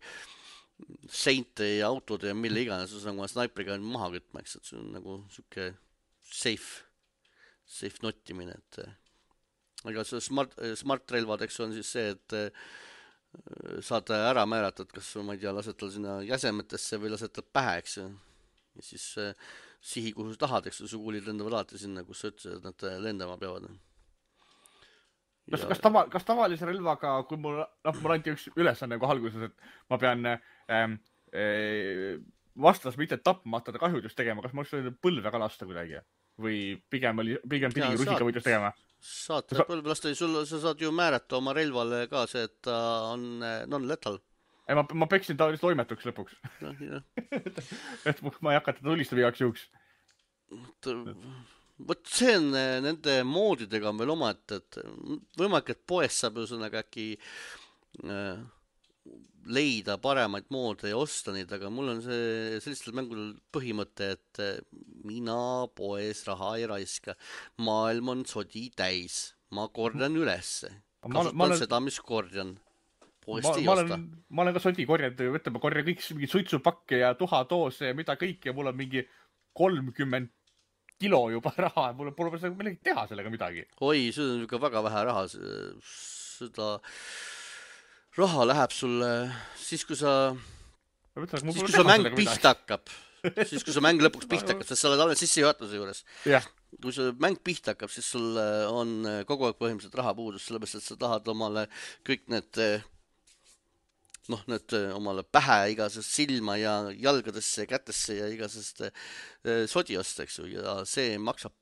seinte ja autode ja mille iganes, üsnaga snaipriga maha kütma, eks, et see on nagu siuke safe, safe nottimine, et aga see smart, smart relvadeks on siis see, et saad ära määrata, et kas ma ei tea, lased tal sinna jäsemetesse või lased tal pähe, eks ju. Ja siis sihi, kuhu sa tahad, eks su kuulid lendavad alati sinna, kus sa ütlesid, et nad lendama peavad. Kas, kas, tava, kas tavalise relvaga, kui mul, noh, mul anti üks ülesanne nagu alguses, et ma pean ähm, äh, vastas mitte tapma, ta kahjudust tegema, kas ma oleks võinud põlvega lasta kuidagi? Või pigem, oli, pigem pidigi rusikavõitlust tegema? Saad põlve lasta, sul, sa saad ju määrata oma relvale ka see, et ta on non-lethal. Ei, ma, ma peksin ta lihtsalt toimetuks lõpuks. No, et ma ei hakka teda tulistama igaks juhuks. Võt see on nende moodidega on veel oma, et, et võimalik, et poes saab üsnaga äkki äh, leida paremaid moode ja osta neid, aga mul on see sellistel mängudel põhimõte, et mina poes raha ei raiska. Maailm on sodi täis. Ma kordan ülesse. Kasutan ma, ma seda, mis kordan. Ma, ma, olen, ma olen ka sodi korjanud, võtame korja kõik mingi suitsupakke ja tuhatoose ja mida kõik ja mul on mingi kolmkümmend kilo juba raha, mul pole millegi teha sellega midagi. Oi, see on ikka väga vähe raha. Seda raha läheb sulle siis, kui sa, mõtlen, siis, kui sa mäng pihta hakkab. Siis, kui sa mäng lõpuks pihta hakkab, sest sa oled alles sisse juhatuse juures. Yeah. Kui sa mäng pihta hakkab, siis sul on kogu aeg põhimõtteliselt raha puudus, sellepärast, et sa tahad omale kõik need noh, need omale pähe igasest silma ja jalgadesse ja kätesse ja igasest sodi osta, eks ju, ja see maksab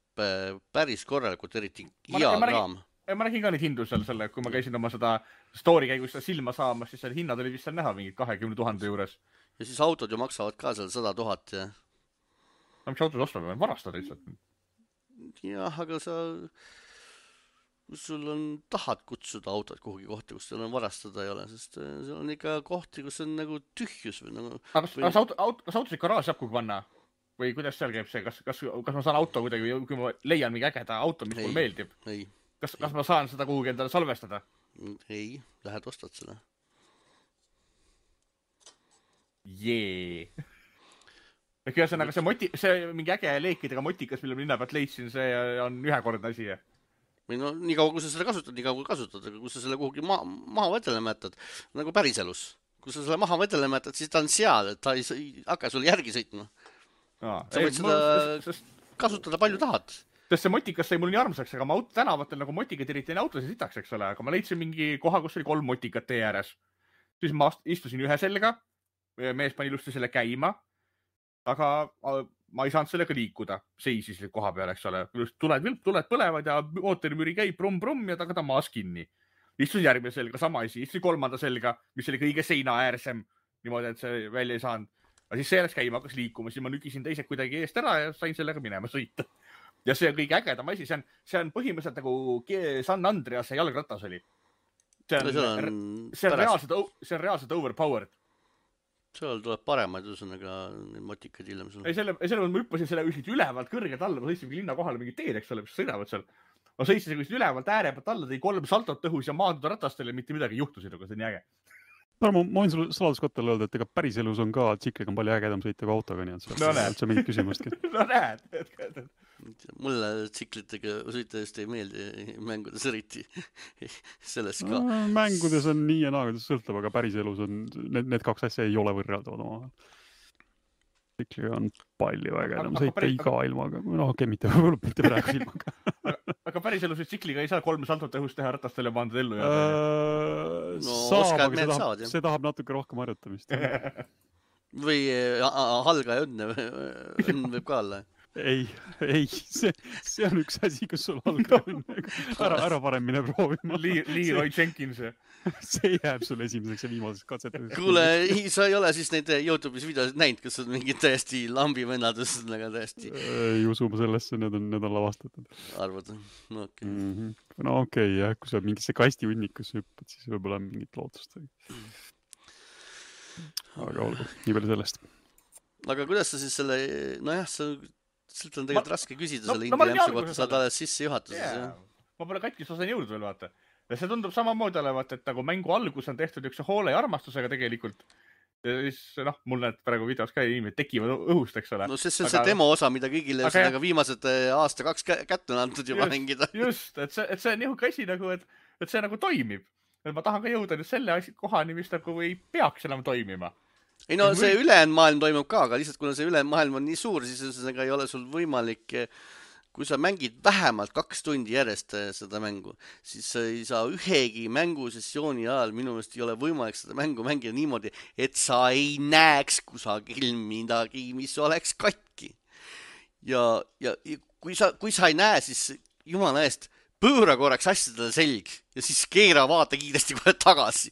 päris korralikult, eriti hea raam. Ma nägin ka neid hindu seal selle, kui ma käisin oma seda story käigus seda silma saamas, siis selle hinnad oli vist seal näha mingid kahekümne tuhande juures. Ja siis autod ju maksavad ka seal sada tuhat ja... No mis autod ostavad, varastad lihtsalt? Jah, aga sa... Kus sul on, tahad kutsuda autod kuhugi kohti, kus seal on varastada ei ole, sest seal on ikka kohti, kus on nagu tühjus või nagu... Aga kas, või... kas, auto, auto, kas autosid garaaži saab kuhugi panna? Või kuidas seal käib see? Kas, kas, kas ma saan auto kuidagi, kui ma leian mingi ägeda auto, mis ei, mul meeldib? Ei. Kas, kas ma saan seda kuhugi endale salvestada? Ei, lähed ostad seda. Jee. Ehk ühesõnaga see, moti, see mingi äge leekidega motikas, mille linna pealt leidsin, see on ühekordne asi. Või no nii kaua, kui sa seda kasutad, nii kaua kui kasutad, aga kui sa selle kuhugi ma maha vedelema jätad, nagu päriselus. Kui sa selle maha vedelema jätad, siis ta on seal, et ta ei, ei hakka sulle järgi sõitma. Aa, sa võid ei, seda mul, sest... kasutada palju tahad. Sest see motikas sai mul nii armsaks, aga ma aut tänavatel nagu motikat eriti autosid sitaks, eks ole, aga ma leidsin mingi koha, kus oli kolm motikat tee ääres. Siis ma istusin ühe selga, mees pani ilusti selle käima, aga ma ei saanud sellega liikuda, seisis koha peal, eks ole. Tuled, tuled põlevad ja mootorimüri käib brum-brum ja taga ta maas kinni. Istusin järgmine selga, sama asi, istusin kolmanda selga, mis oli kõige seina äärsem, niimoodi, et see välja ei saanud. Aga siis see läks käima, hakkas liikuma, siis ma nügisin teised kuidagi eest ära ja sain sellega minema sõita. Ja see on kõige ägedam asi, see on, see on põhimõtteliselt nagu San Andrease jalgratas oli. See on, see on, see on, reaalselt, see on reaalselt overpowered. Seal tuleb paremaid üsõnaga motikaid hiljem sul. Ei, selle, selle ma hüppasin selle ülevalt kõrgelt alla, ma sõitsin linna kohale mingi teed, eks ole, mis sõidavad seal. Ma sõitsin selle ülevalt ääre pealt alla, tõi kolm saltot õhus ja maanduda ratastele, mitte midagi juhtusid, aga see on nii äge. Ma, ma võin sulle saladuskottele öelda, et ega päris elus on ka tsikliga on palju ägedam sõita kui autoga, nii et see no, on mingit küsimustki. No näed. Mulle tsiklitega sõita just ei meeldi mängudes eriti selles ka. No, mängudes on nii ja naa, kuidas sõltab, aga päris elus on, need, need kaks asja ei ole võrreldavad oma. Tsikliga on palju ägedam sõita päris... iga ilmaga. No okei, mitte, mitte praegu ilmaga. aga, aga päris elus tsikliga ei saa kolm saltot õhust teha ratastele ja maandada ellu. Uh, no, saab, aga see tahab, saad, see tahab natuke rohkem harjutamist. Või halga ja õnne, õnn võib ka olla. Ei, ei, see, see on üks asi, kus sul halga õnne. Ära, ära parem mine proovima. Leroy Jenkins. See jääb sulle esimeseks ja viimaseks katsetamiseks. Kuule, sa ei ole siis neid YouTube'is videosid näinud, kus on mingid täiesti lambi vennadus, nagu täiesti. Ei usu ma sellesse, need on, need on lavastatud. Arvad? No okei. Okay. Mm-hmm. No okei, okay, jah, kui sa mingisse kasti hunnikus hüppad, siis võib-olla on mingit lootust. Aga olgu, nii palju sellest. Aga kuidas sa siis selle, nojah, sa Silt on tegelikult ma... raske küsida no, selle no, indie jämpsu kohta, saad alles sisse juhatuses, yeah. jah. Ma pole katkis osan jõudnud veel, vaata. Ja see tundub samamoodi olevat, et nagu mängu algus on tehtud üks hoole ja armastusega tegelikult. Ja siis, noh, mul need praegu videos ka inimesed tekivad õhust, eks ole. No see on aga... see demo osa, mida kõigile aga... viimased aasta kaks kätte on antud juba just, mängida. Just, et see, et see on nihuke asi nagu, et, et see nagu toimib. Et ma tahan ka jõuda nüüd selle kohani, mis nagu ei peaks enam toimima. Ei no see või... ülejäänud maailm toimub ka, aga lihtsalt kuna see ülejäänud maailm on nii suur, siis ei ole sul võimalik, kui sa mängid vähemalt kaks tundi järjest seda mängu, siis sa ei saa ühegi mängusessiooni ajal, minu meelest ei ole võimalik seda mängu mängida niimoodi, et sa ei näeks kusagil midagi, mis oleks katki. Ja, ja, ja kui, sa, kui sa ei näe, siis jumala eest pööra korraks asjadele selg ja siis keera vaata kiiresti kohe tagasi.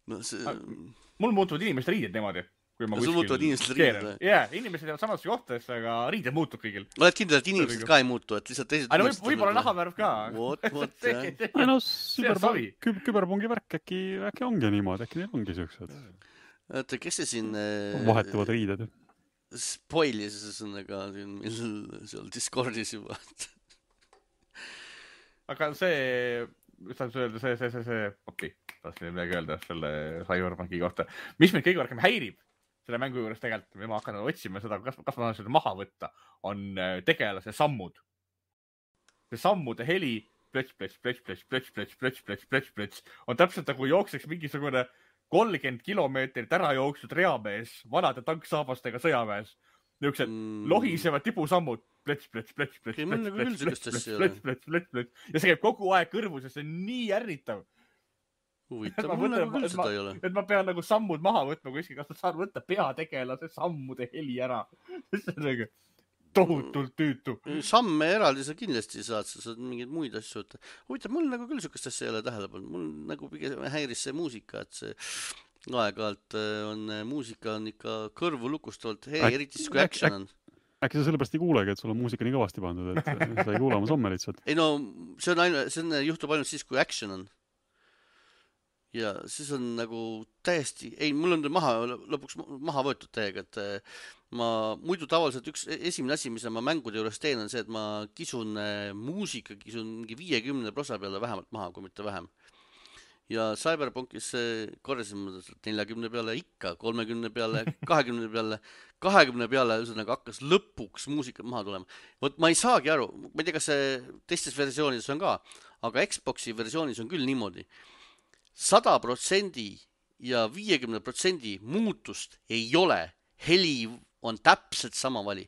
No see... Mul muutuvad inimesed riided niimoodi. Kui ma sul muutuvad inimesed riided? Jaa, inimesed jäävad samasse kohtadesse, aga riided muutub kõigil. Oled kindel, et inimesed ka ei muutu, et lihtsalt teised... Aga võib-olla nahavärv ka. Vot, vot, jah. Ei no, küberpungi värk äkki, äkki ongi niimoodi, äkki neil ongi siuksed. Oota, kes see siin... Vahetuvad riided. Spoilis sõnaga seal Discordis juba. Aga see... mis tahan öelda, see, see, see, see, okei, tahtsin midagi öelda selle Cyberpunki kohta. Mis meid kõige rohkem häirib selle mängu juures tegelikult, me ma hakkan otsima seda, kas, kas ma saan seda maha võtta, on tegelase sammud. See sammude heli, plöts, plöts, plöts, plöts, plöts, plöts, plöts, plöts, plöts, plöts, on täpselt nagu jookseks mingisugune kolmkümmend kilomeetrit ära jooksnud reamees vanade tanksaabastega sõjaväes. Niisugused mm. lohisevad tibusammud. Plets, plets, plets, plets, plets, plets, plets, plets, plets, plets, plets. Ja see käib kogu aeg kõrvus ja see on nii ärritav. Huvitav, mul nagu küll seda ei ole. Et ma pean nagu sammud maha võtma kuskil, kas ma saan võtta peategelase sammude heli ära. See on nagu tohutult tüütu. Samme eraldi sa kindlasti saad, sa saad mingeid muid asju võtta. Huvitav, mul nagu küll sükast asja ei ole tähelepanu. Mul nagu pigem häiris see muusika, et see aeg-ajalt on muusika on ikka kõrvu lukustavalt. Hei, eriti siis kui action on. Äkki sa sellepärast ei kuulegi, et sul on muusika nii kõvasti pandud, et sa ei kuule oma samme lihtsalt. Ei no, see on ainu, see on, juhtub ainult siis, kui action on. Ja siis on nagu täiesti, ei, mul on maha, lõpuks maha võetud täiega, et ma muidu tavaliselt üks esimene asi, mis ma mängude juures teen, on see, et ma kisun muusika, kisun mingi viiekümne prosa peale vähemalt maha, kui mitte vähem. Ja Cyberpunkis korjasin neljakümne peale ikka, kolmekümne peale, kahekümne peale, kahekümne peale üsõnaga hakkas lõpuks muusikat maha tulema. Vot ma ei saagi aru, ma ei tea, kas see teistes versioonides on ka, aga Xboxi versioonis on küll niimoodi. sada protsenti ja viiekümne protsendi muutust ei ole. Heli on täpselt sama vali.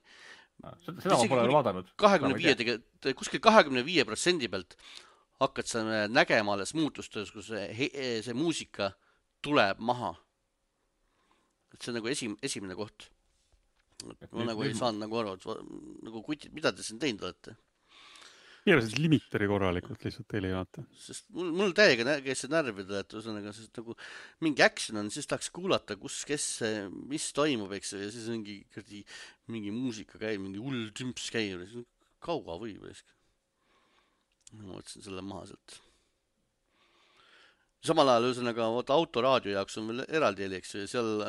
Seda ma pole vaadanud. kahekümne viie, kuskil kahekümne viie protsendi pealt hakkad sa nägema alles muutustes, kus see, see muusika tuleb maha. Et see on nagu esim, esimene koht. Et ma nagu ei saanud nagu aru, et nagu kutid, mida te siin teinud olete? Keerasid limiteri korralikult lihtsalt teile jaata. Sest mul, mul täiega käis see närvida, et üsõnaga, sest nagu mingi action on, siis tahaks kuulata, kus, kes, mis toimub, eks, ja siis mingi, mingi muusika käib, mingi hull tümps käib, kaua võib, eks. Ma võtsin selle maha sealt. Samal ajal üsõnaga autoraadio jaoks on veel eraldi heli, eks, ja seal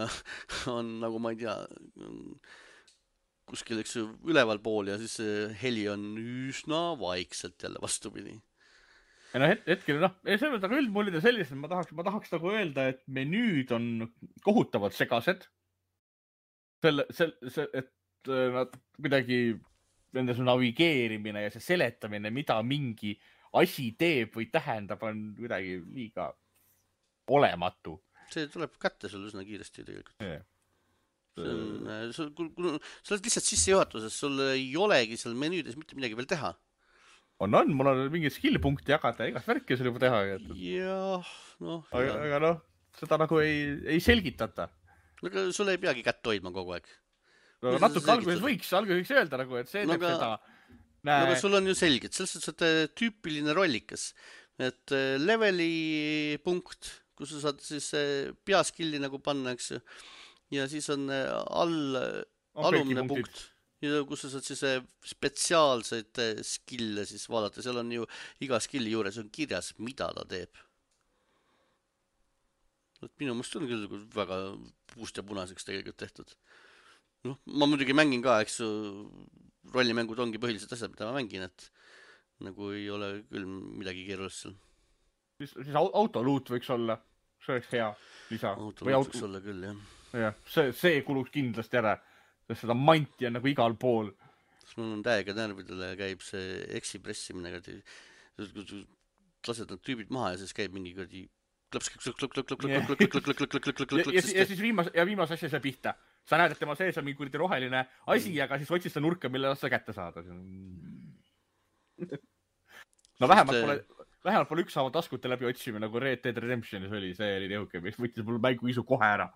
on nagu ma ei tea kuskil eks, üleval pool ja siis heli on üsna vaikselt jälle vastupidi. Ja no het hetkel, noh, see on aga üldmullida sellised, ma tahaks, ma tahaks nagu öelda, et menüüd on kohutavad segased. Selle, sel, see, et nad kuidagi nende su navigeerimine ja see seletamine, mida mingi asi teeb või tähendab, on kuidagi liiga olematu. See tuleb kätte sul üsna kiiresti tegelikult. Yeah. See on, sul, sul, sul oled lihtsalt sissejuhatuses, sul ei olegi seal menüüdes mitte midagi veel teha. On, on, mul on mingi skill-punkti jagada, igas värki sul juba teha. Jah, noh. Aga, aga noh, seda nagu ei, ei selgitata. Aga sul ei peagi kätt hoidma kogu aeg. No, natuke alguses võiks, alguses võiks öelda, nagu, et see no, teeb aga, seda. No, aga sul on ju selged, selles suhtes, et tüüpiline rollikas. Et leveli punkt, kus sa saad siis peaskilli nagu panna, eks. Ja siis on all, alumne punkt, ja kus sa saad siis spetsiaalseid skille siis vaadata. Seal on ju iga skilli juures on kirjas, mida ta teeb. Et minu mõist on küll väga puust ja punaseks tegelikult tehtud. noh, ma muidugi mängin ka, eks rollimängud ongi põhilised asjad, mida ma mängin, et nagu ei ole küll midagi keerulist seal. Siis, siis autoluut võiks olla, see oleks hea lisa. Autoluut auto... võiks olla küll, jah. jah, see, see kuluks kindlasti ära, sest seda manti on nagu igal pool. Mul on täiega närvidele käib see eksi pressimine, lased nad tüübid maha ja siis käib mingi kõrdi klaps, klaps, klaps, klaps, klaps, klaps, klaps, klaps, klaps, klaps, ja, ja siis viimase, ja viimase asja see pihta. Sa näed, et tema sees on mingi kurdi roheline asi, aga siis otsid seda nurka, mille sa kätte saada. No vähemalt pole, vähemalt pole ükshaaval taskute läbi otsime, nagu Red Dead Redemptionis oli, see oli jõuke, mis võttis mul mängu isu kohe ära.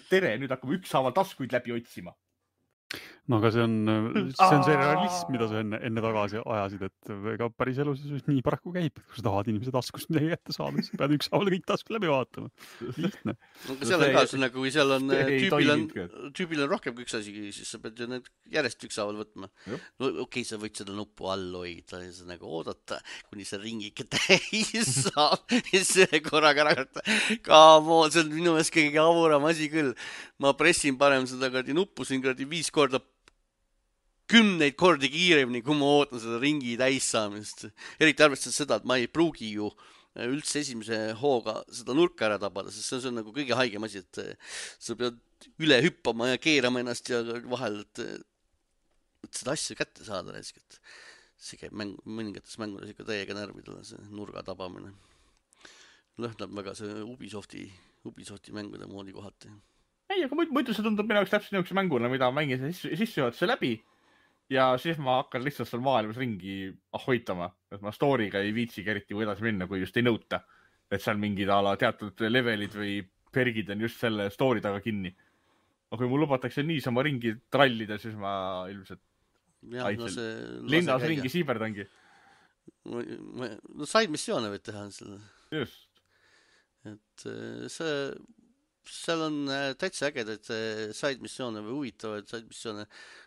Tere, nüüd hakkame ükshaaval taskuid läbi otsima. No aga see on, see on see realism, mida sa enne, enne tagasi ajasid, et ega päris elus nii paraku käib, kui sa tahad inimese taskust midagi ette saada, siis pead ükshaaval kõik taskud läbi vaatama. Lihtne. No, seal on ka, see, kui seal on tüübil, on tüübil on rohkem kui üks asi, siis sa pead ju need järjest ükshaaval võtma. No okei, okay, sa võid seda nuppu all hoida ja sa nagu oodata, kuni see ringike täis saab ja see korraga ära karta. Kaamo, see on minu meelest kõige avuram asi küll. Ma pressin parem seda kõrdi nuppu siin kõrdi viis korda kümneid kordi kiiremini, kui ma ootan seda ringi täis saamist. Eriti arvestades seda, et ma ei pruugi ju üldse esimese hooga seda nurka ära tabada, sest see on nagu kõige haigem asi, et sa pead üle hüppama ja keerama ennast ja vahel, et, et seda asja kätte saada näiteks, et see käib mäng, mõningates mängudes ikka täiega närvidele, see nurga tabamine. Lõhnab väga see Ubisofti, Ubisofti mängude moodi kohati. Ei, aga muidu see tundub minu jaoks täpselt niisuguse mänguna, mida ma mängin sissejuhatuse läbi. Ja siis ma hakkan lihtsalt seal maailmas ringi hoitama, et ma story'ga ei viitsigi eriti või edasi minna, kui just ei nõuta. Et seal mingid ala teatud levelid või pergid on just selle story taga kinni. Aga kui mul lubatakse niisama ringi trallida, siis ma ilmselt ja, no see, linnas käia. Ringi siiberdangi. No side missioone võid teha selle. Just. Et see... seal on täitsa ägedaid side missioone või huvitavaid side missioone,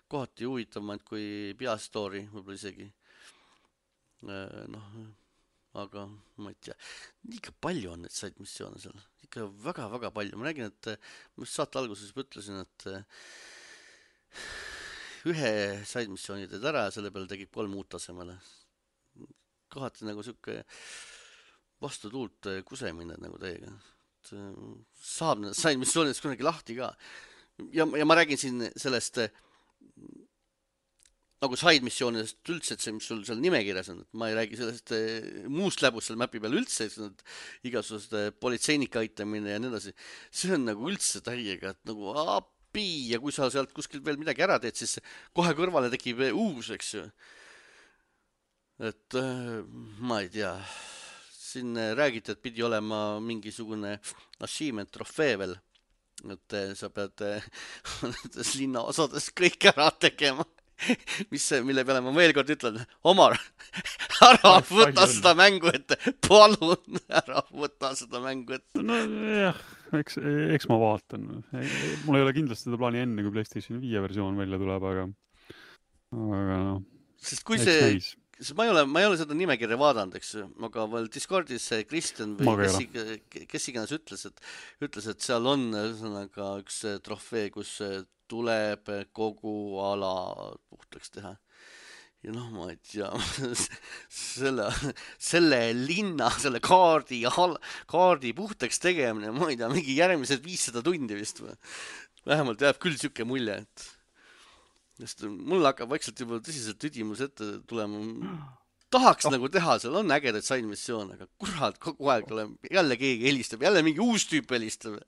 kohati huvitavamaid kui peastory, võib-olla isegi. Noh, aga ma ei tea, liiga palju on neid side missioone seal, ikka väga-väga palju. Ma räägin, et ma just saate alguses ütlesin, et ühe side missiooni teed ära ja selle peale tegid kolm uut tasemele. Kohati nagu siuke vastu tuult kusemine nagu teiega. Saab need side missioonidest kunagi lahti ka. Ja, ja ma räägin siin sellest nagu side missioonidest üldse, et see, mis sul seal nimekirjas on, et ma ei räägi sellest muust läbust seal mäpi peal üldse, et igasugust politseinika aitamine ja nii edasi. See on nagu üldse täiega, et nagu api ja kui sa sealt kuskil veel midagi ära teed, siis kohe kõrvale tekib uus, eks ju. Et ma ei tea... Siin räägiti, et pidi olema mingisugune achievement trofee veel, et sa pead nendes linna osades kõik ära tegema, mis, mille peale ma veel kord ütlen, Omar, ära võta seda mängu ette, palun ära võta seda mängu ette. No jah, eks, eks ma vaatan. Mul ei ole kindlasti seda plaani enne, kui PlayStation viie versioon välja tuleb, aga, aga no, sest kui see... Näis. Sest ma ei ole, ma ei ole seda nimekirja vaadanud, eks, aga veel Discordis Kristjan või kes, kes iganes ütles, et, ütles, et seal on ühesõnaga üks trofee, kus tuleb kogu ala puhtaks teha. Ja noh, ma ei tea, selle, selle linna, selle kaardi, kaardi puhtaks tegemine, ma ei tea, mingi järgmised viissada tundi vist või. Vähemalt jääb küll siuke mulje, et Just, mul hakkab vaikselt juba tõsiselt tüdimus ette tulema. Tahaks oh. nagu teha, seal on ägedaid side missioone, aga kurat, kogu aeg tuleb, jälle keegi helistab, jälle mingi uus tüüp helistab.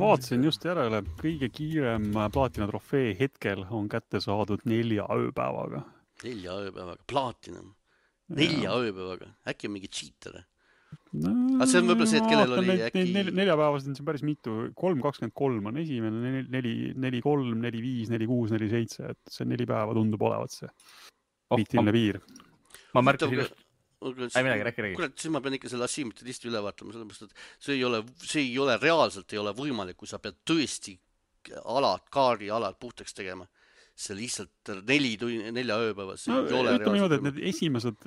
Vaatasin just järele, kõige kiirem plaatina trofee hetkel on kätte saadud nelja ööpäevaga. Nelja ööpäevaga, plaatina. Nelja ja. ööpäevaga, äkki on mingi cheater. No, aga see on võib-olla see, et kellel oli need, äkki... Nel, neljapäevased on siin päris mitu. kolm kakskümmend kolm on esimene, neli kolm, neli viis, neli kuus, neli seitse. Et see neli päeva tundub olevat see kriitiline oh, piir. Ma märkasin just... Ei midagi, rääki, rääki. Kurat, siis ma pean ikka selle assiimite listi üle vaatama, sellepärast, et see ei ole, see ei ole reaalselt ei ole võimalik, kui sa pead tõesti alad, kaardi alad puhtaks tegema. see lihtsalt neli tunni, nelja ööpäevas. No, ütleme niimoodi, et need esimesed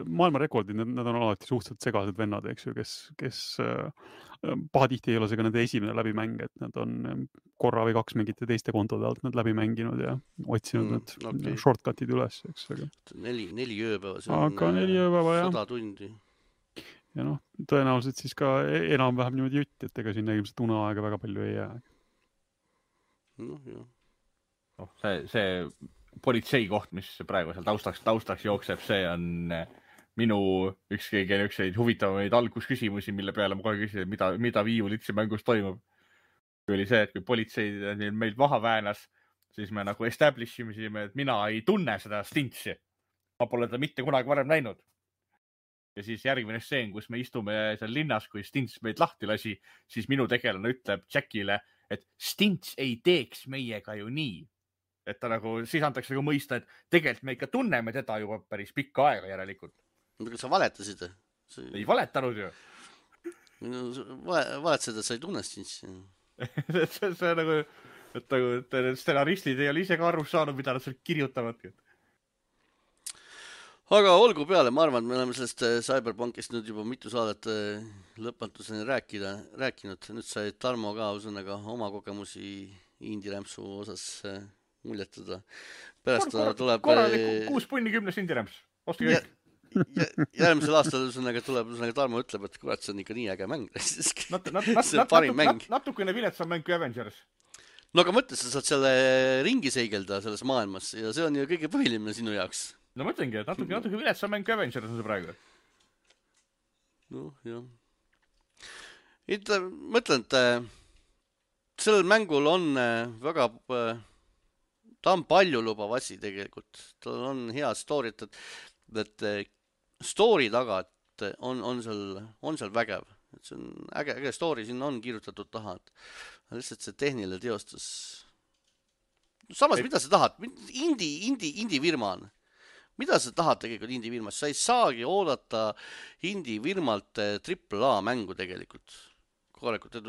maailmarekordid, need, need on alati suhteliselt segased vennad, eks ju, kes, kes pahatihti ei ole see ka nende esimene läbimäng, et nad on korra või kaks mingite teiste kontode alt nad läbi mänginud ja otsinud mm, need okay. shortcutid üles, eks. Aga... Neli, neli ööpäeva, see on aga neli ööpäeva, sada tundi. Ja noh, tõenäoliselt siis ka enam-vähem niimoodi jutt, et ega sinna ilmselt uneaega väga palju ei jää. noh, jah. noh, see, see politsei koht, mis praegu seal taustaks, taustaks jookseb, see on minu üks kõige ükseid huvitavamaid algusküsimusi, mille peale ma kohe küsisin, mida, mida viiulitsi mängus toimub. Oli see, et kui politsei meil maha väänas, siis me nagu establish imisime, et mina ei tunne seda Stintsi. Ma pole ta mitte kunagi varem näinud. Ja siis järgmine stseen, kus me istume seal linnas, kui Stints meid lahti lasi, siis minu tegelane ütleb Jackile, et Stints ei teeks meiega ju nii. Et ta nagu, siis antakse nagu mõista, et tegelikult me ikka tunneme teda juba päris pikka aega järelikult. Kas sa valetasid? See... Ei valetanud ju. Valetasid, et sa ei tunne Stintsi. see, see, see nagu, et nagu, et stsenaristid ei ole ise ka aru saanud, mida nad seal kirjutavadki. Aga olgu peale, ma arvan, et me oleme sellest Cyberpunkist nüüd juba mitu saadet lõpmatuseni rääkida, rääkinud. Nüüd sai Tarmo ka usõnaga oma kogemusi Indie-rämpsu osas muljetada. Pärast kor, kor, tuleb... Korralik kuus punni kümnes Indie-rämps. Osti kõik. Järgmisel aastal usõnaga tuleb, usõnaga Tarmo ütleb, et kurat, see on ikka nii äge mäng. Nat, nat, nat, see on parim nat, mäng. Nat, natukene viletsam mäng kui Avengers. No aga mõtle, sa saad selle ringi seigelda selles maailmas ja see on ju kõige põhiline sinu jaoks. No mõtlengi, et natuke, natuke viletsam mäng kui Avengers on see praegu. noh, jah. Ütle, mõtlen, et sellel mängul on väga, ta on palju lubav asi tegelikult. Tal on hea story, et, et story taga on, on, seal, on seal vägev. Et see on äge, äge story, siin on kirjutatud taha. Lihtsalt see tehniline teostus. Samas, mida sa tahad? Indie, indie, indie firma on. Mida sa tahad tegelikult indie firmast? Sa ei saagi oodata indie firmalt triple A mängu tegelikult. Korralikult.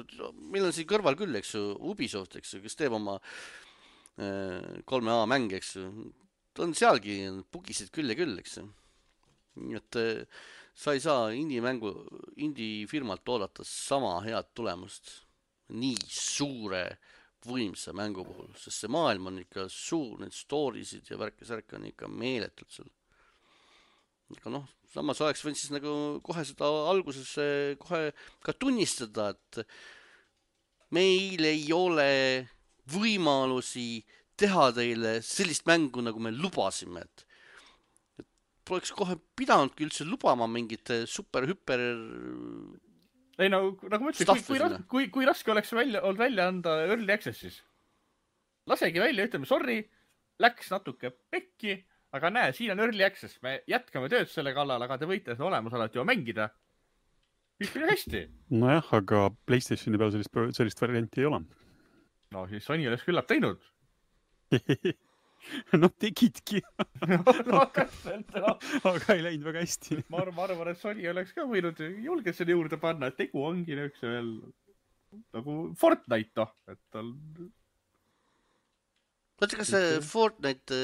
Meil on siin kõrval küll, eks ju, Ubisoft, eks ju, kes teeb oma kolme A mäng, eks ju. Ta on sealgi pugisid küll ja küll, eks ju. Nii et sa ei saa indie mängu, indie firmalt oodata sama head tulemust nii suure võimsa mängu puhul, sest see maailm on ikka suur, need stories'id ja värkesärk on ikka meeletult seal. Aga noh, samas oleks võinud siis nagu kohe seda alguses kohe ka tunnistada, et meil ei ole võimalusi teha teile sellist mängu, nagu me lubasime, et, et poleks kohe pidanudki üldse lubama mingit super-hüper ei no, nagu ma ütlen, kui, kui, kui, kui raske oleks välja, olnud välja anda Early Accessis. Lasegi välja, ütleme, sorry, läks natuke pekki, aga näe, siin on Early Access. Me jätkame tööd selle kallal, aga te võite seda olemasolevat ju mängida. Kõik oli hästi. Nojah, aga PlayStationi peal sellist, sellist varianti ei ole. No siis Sony oleks küllap teinud. no tegidki. no, no, täpselt, no. aga ei läinud väga hästi. ma arvan, ma arvan, et Sony oleks ka võinud julgelt selle juurde panna, et tegu ongi üks veel nagu Fortnite, noh, et tal... Mõtle, kas see Fortnite...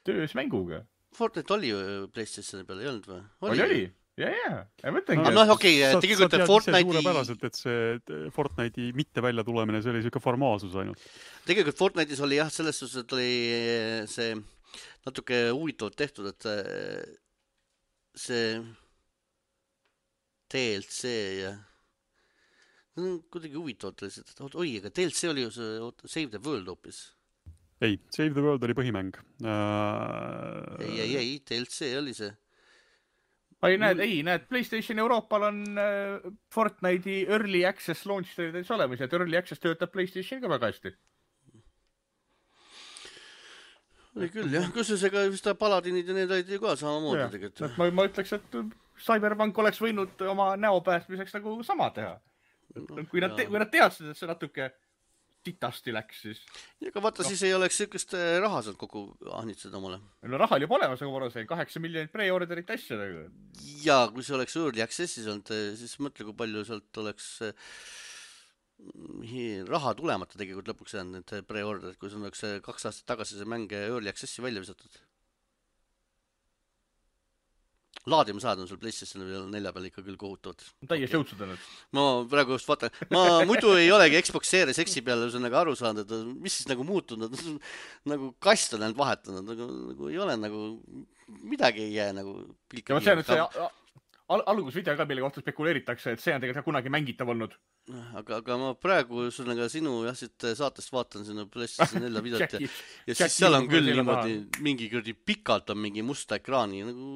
töös mänguga. Fortnite oli ju PlayStationi peal, ei olnud või? Oli, oli. Ja, ja. Ja mõtlengi. No, okei, okay, tegelikult sa Fortnite'i... suurepäraselt, et see Fortnite'i mitte välja tulemine, see oli siuke formaalsus ainult. Tegelikult Fortnite'is oli jah, selles suhtes, et oli see natuke huvitavalt tehtud, et see D L C ja kuidagi huvitavalt oli see, et oi, aga D L C oli ju see Save the World hoopis. Ei, Save the World oli põhimäng. Uh... Ei, ei, ei, D L C oli see. Ei, näed, ei, näed, PlayStation Euroopal on äh, Fortnite'i Early Access launch täis olemas, et Early Access töötab PlayStation ka väga hästi. Oli küll, jah. Kusjuures ega vist Paladinid ja need olid ju ka samamoodi tegelikult. Ma, ma ütleks, et Cyberpunk oleks võinud oma näopäästmiseks nagu sama teha. No, kui, nad te, kui nad teadsid, et see natuke titasti läks, siis... Aga vaata, no. Siis ei oleks sellist raha sealt kokku ahnitseda omale. No raha oli olemas, aga ma arvan, kaheksa miljonit pre-orderit asja. Ja kui see oleks Early Accessis olnud, siis mõtle, kui palju sealt oleks raha tulemata tegelikult lõpuks jäänud need pre-orderid, kui sul oleks kaks aastat tagasi see mäng Early Accessi välja visatud. Laadima saad on sul PlayStation nelja peal ikka küll kohutavad. Täiesti jõudsudanud. Ma praegu just vaatan, ma muidu ei olegi Xbox Series X-i peale nagu aru saanud, et mis siis nagu muutunud, nagu kast on ainult vahetanud, nagu, nagu ei ole nagu, midagi ei jää nagu pilka. Ja see on, et see al algusvideo ka, mille kohta spekuleeritakse, et see on tegelikult kunagi mängitav olnud. Aga, aga ma praegu sulle sinu jah, siit saatest vaatan sinna PlayStation nelja videot ja, ja siis seal on küll niimoodi mingi kuradi pikalt on mingi musta ekraani, nagu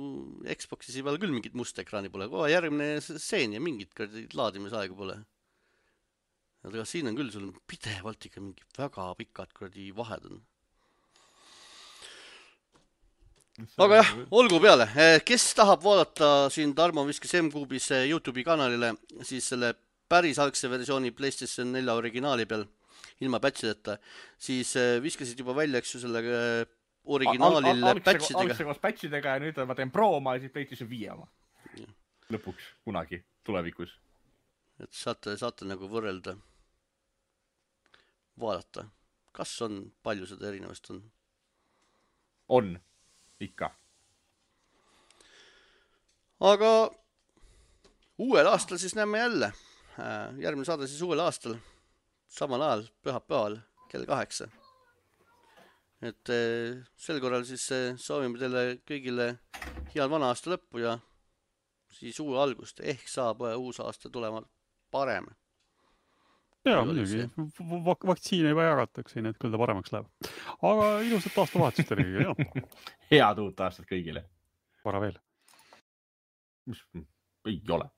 Xbox'is ei peale küll mingit musta ekraani pole, kohe järgmine seen ja mingit laadimisaega pole. Aga siin on küll sul pidevalt ikka mingi väga pikad kuradi vahed on. Aga jah, olgu peale. Kes tahab vaadata siin Tarmo viskes M-Kuubis YouTube'i kanalile, siis selle päris algse versiooni PlayStation nelja originaali peal ilma patchideta, siis viskasid juba välja, eks ju, selle originaalil al al patchidega. Algse koos patchidega ja nüüd ma teen Pro oma ja siis PlayStation viie oma. Lõpuks, kunagi, tulevikus. Et saate, saate nagu võrrelda, vaadata, kas on, palju seda erinevast on? On, ikka. Aga uuel aastal siis näeme jälle. Järgmine saade siis uuel aastal, samal ajal, pühapäeval, kell kaheksa. Et sel korral siis soovime teile kõigile head vana aasta lõppu ja siis uue algust, ehk saab uus aasta tulema parem. Jaa, muidugi. Vaktsiine juba jagatakse, nii et küll ta paremaks läheb. Aga ilusat aasta vahetust teile kõigile. Head uut aastat kõigile. Vara veel. Mis ei ole.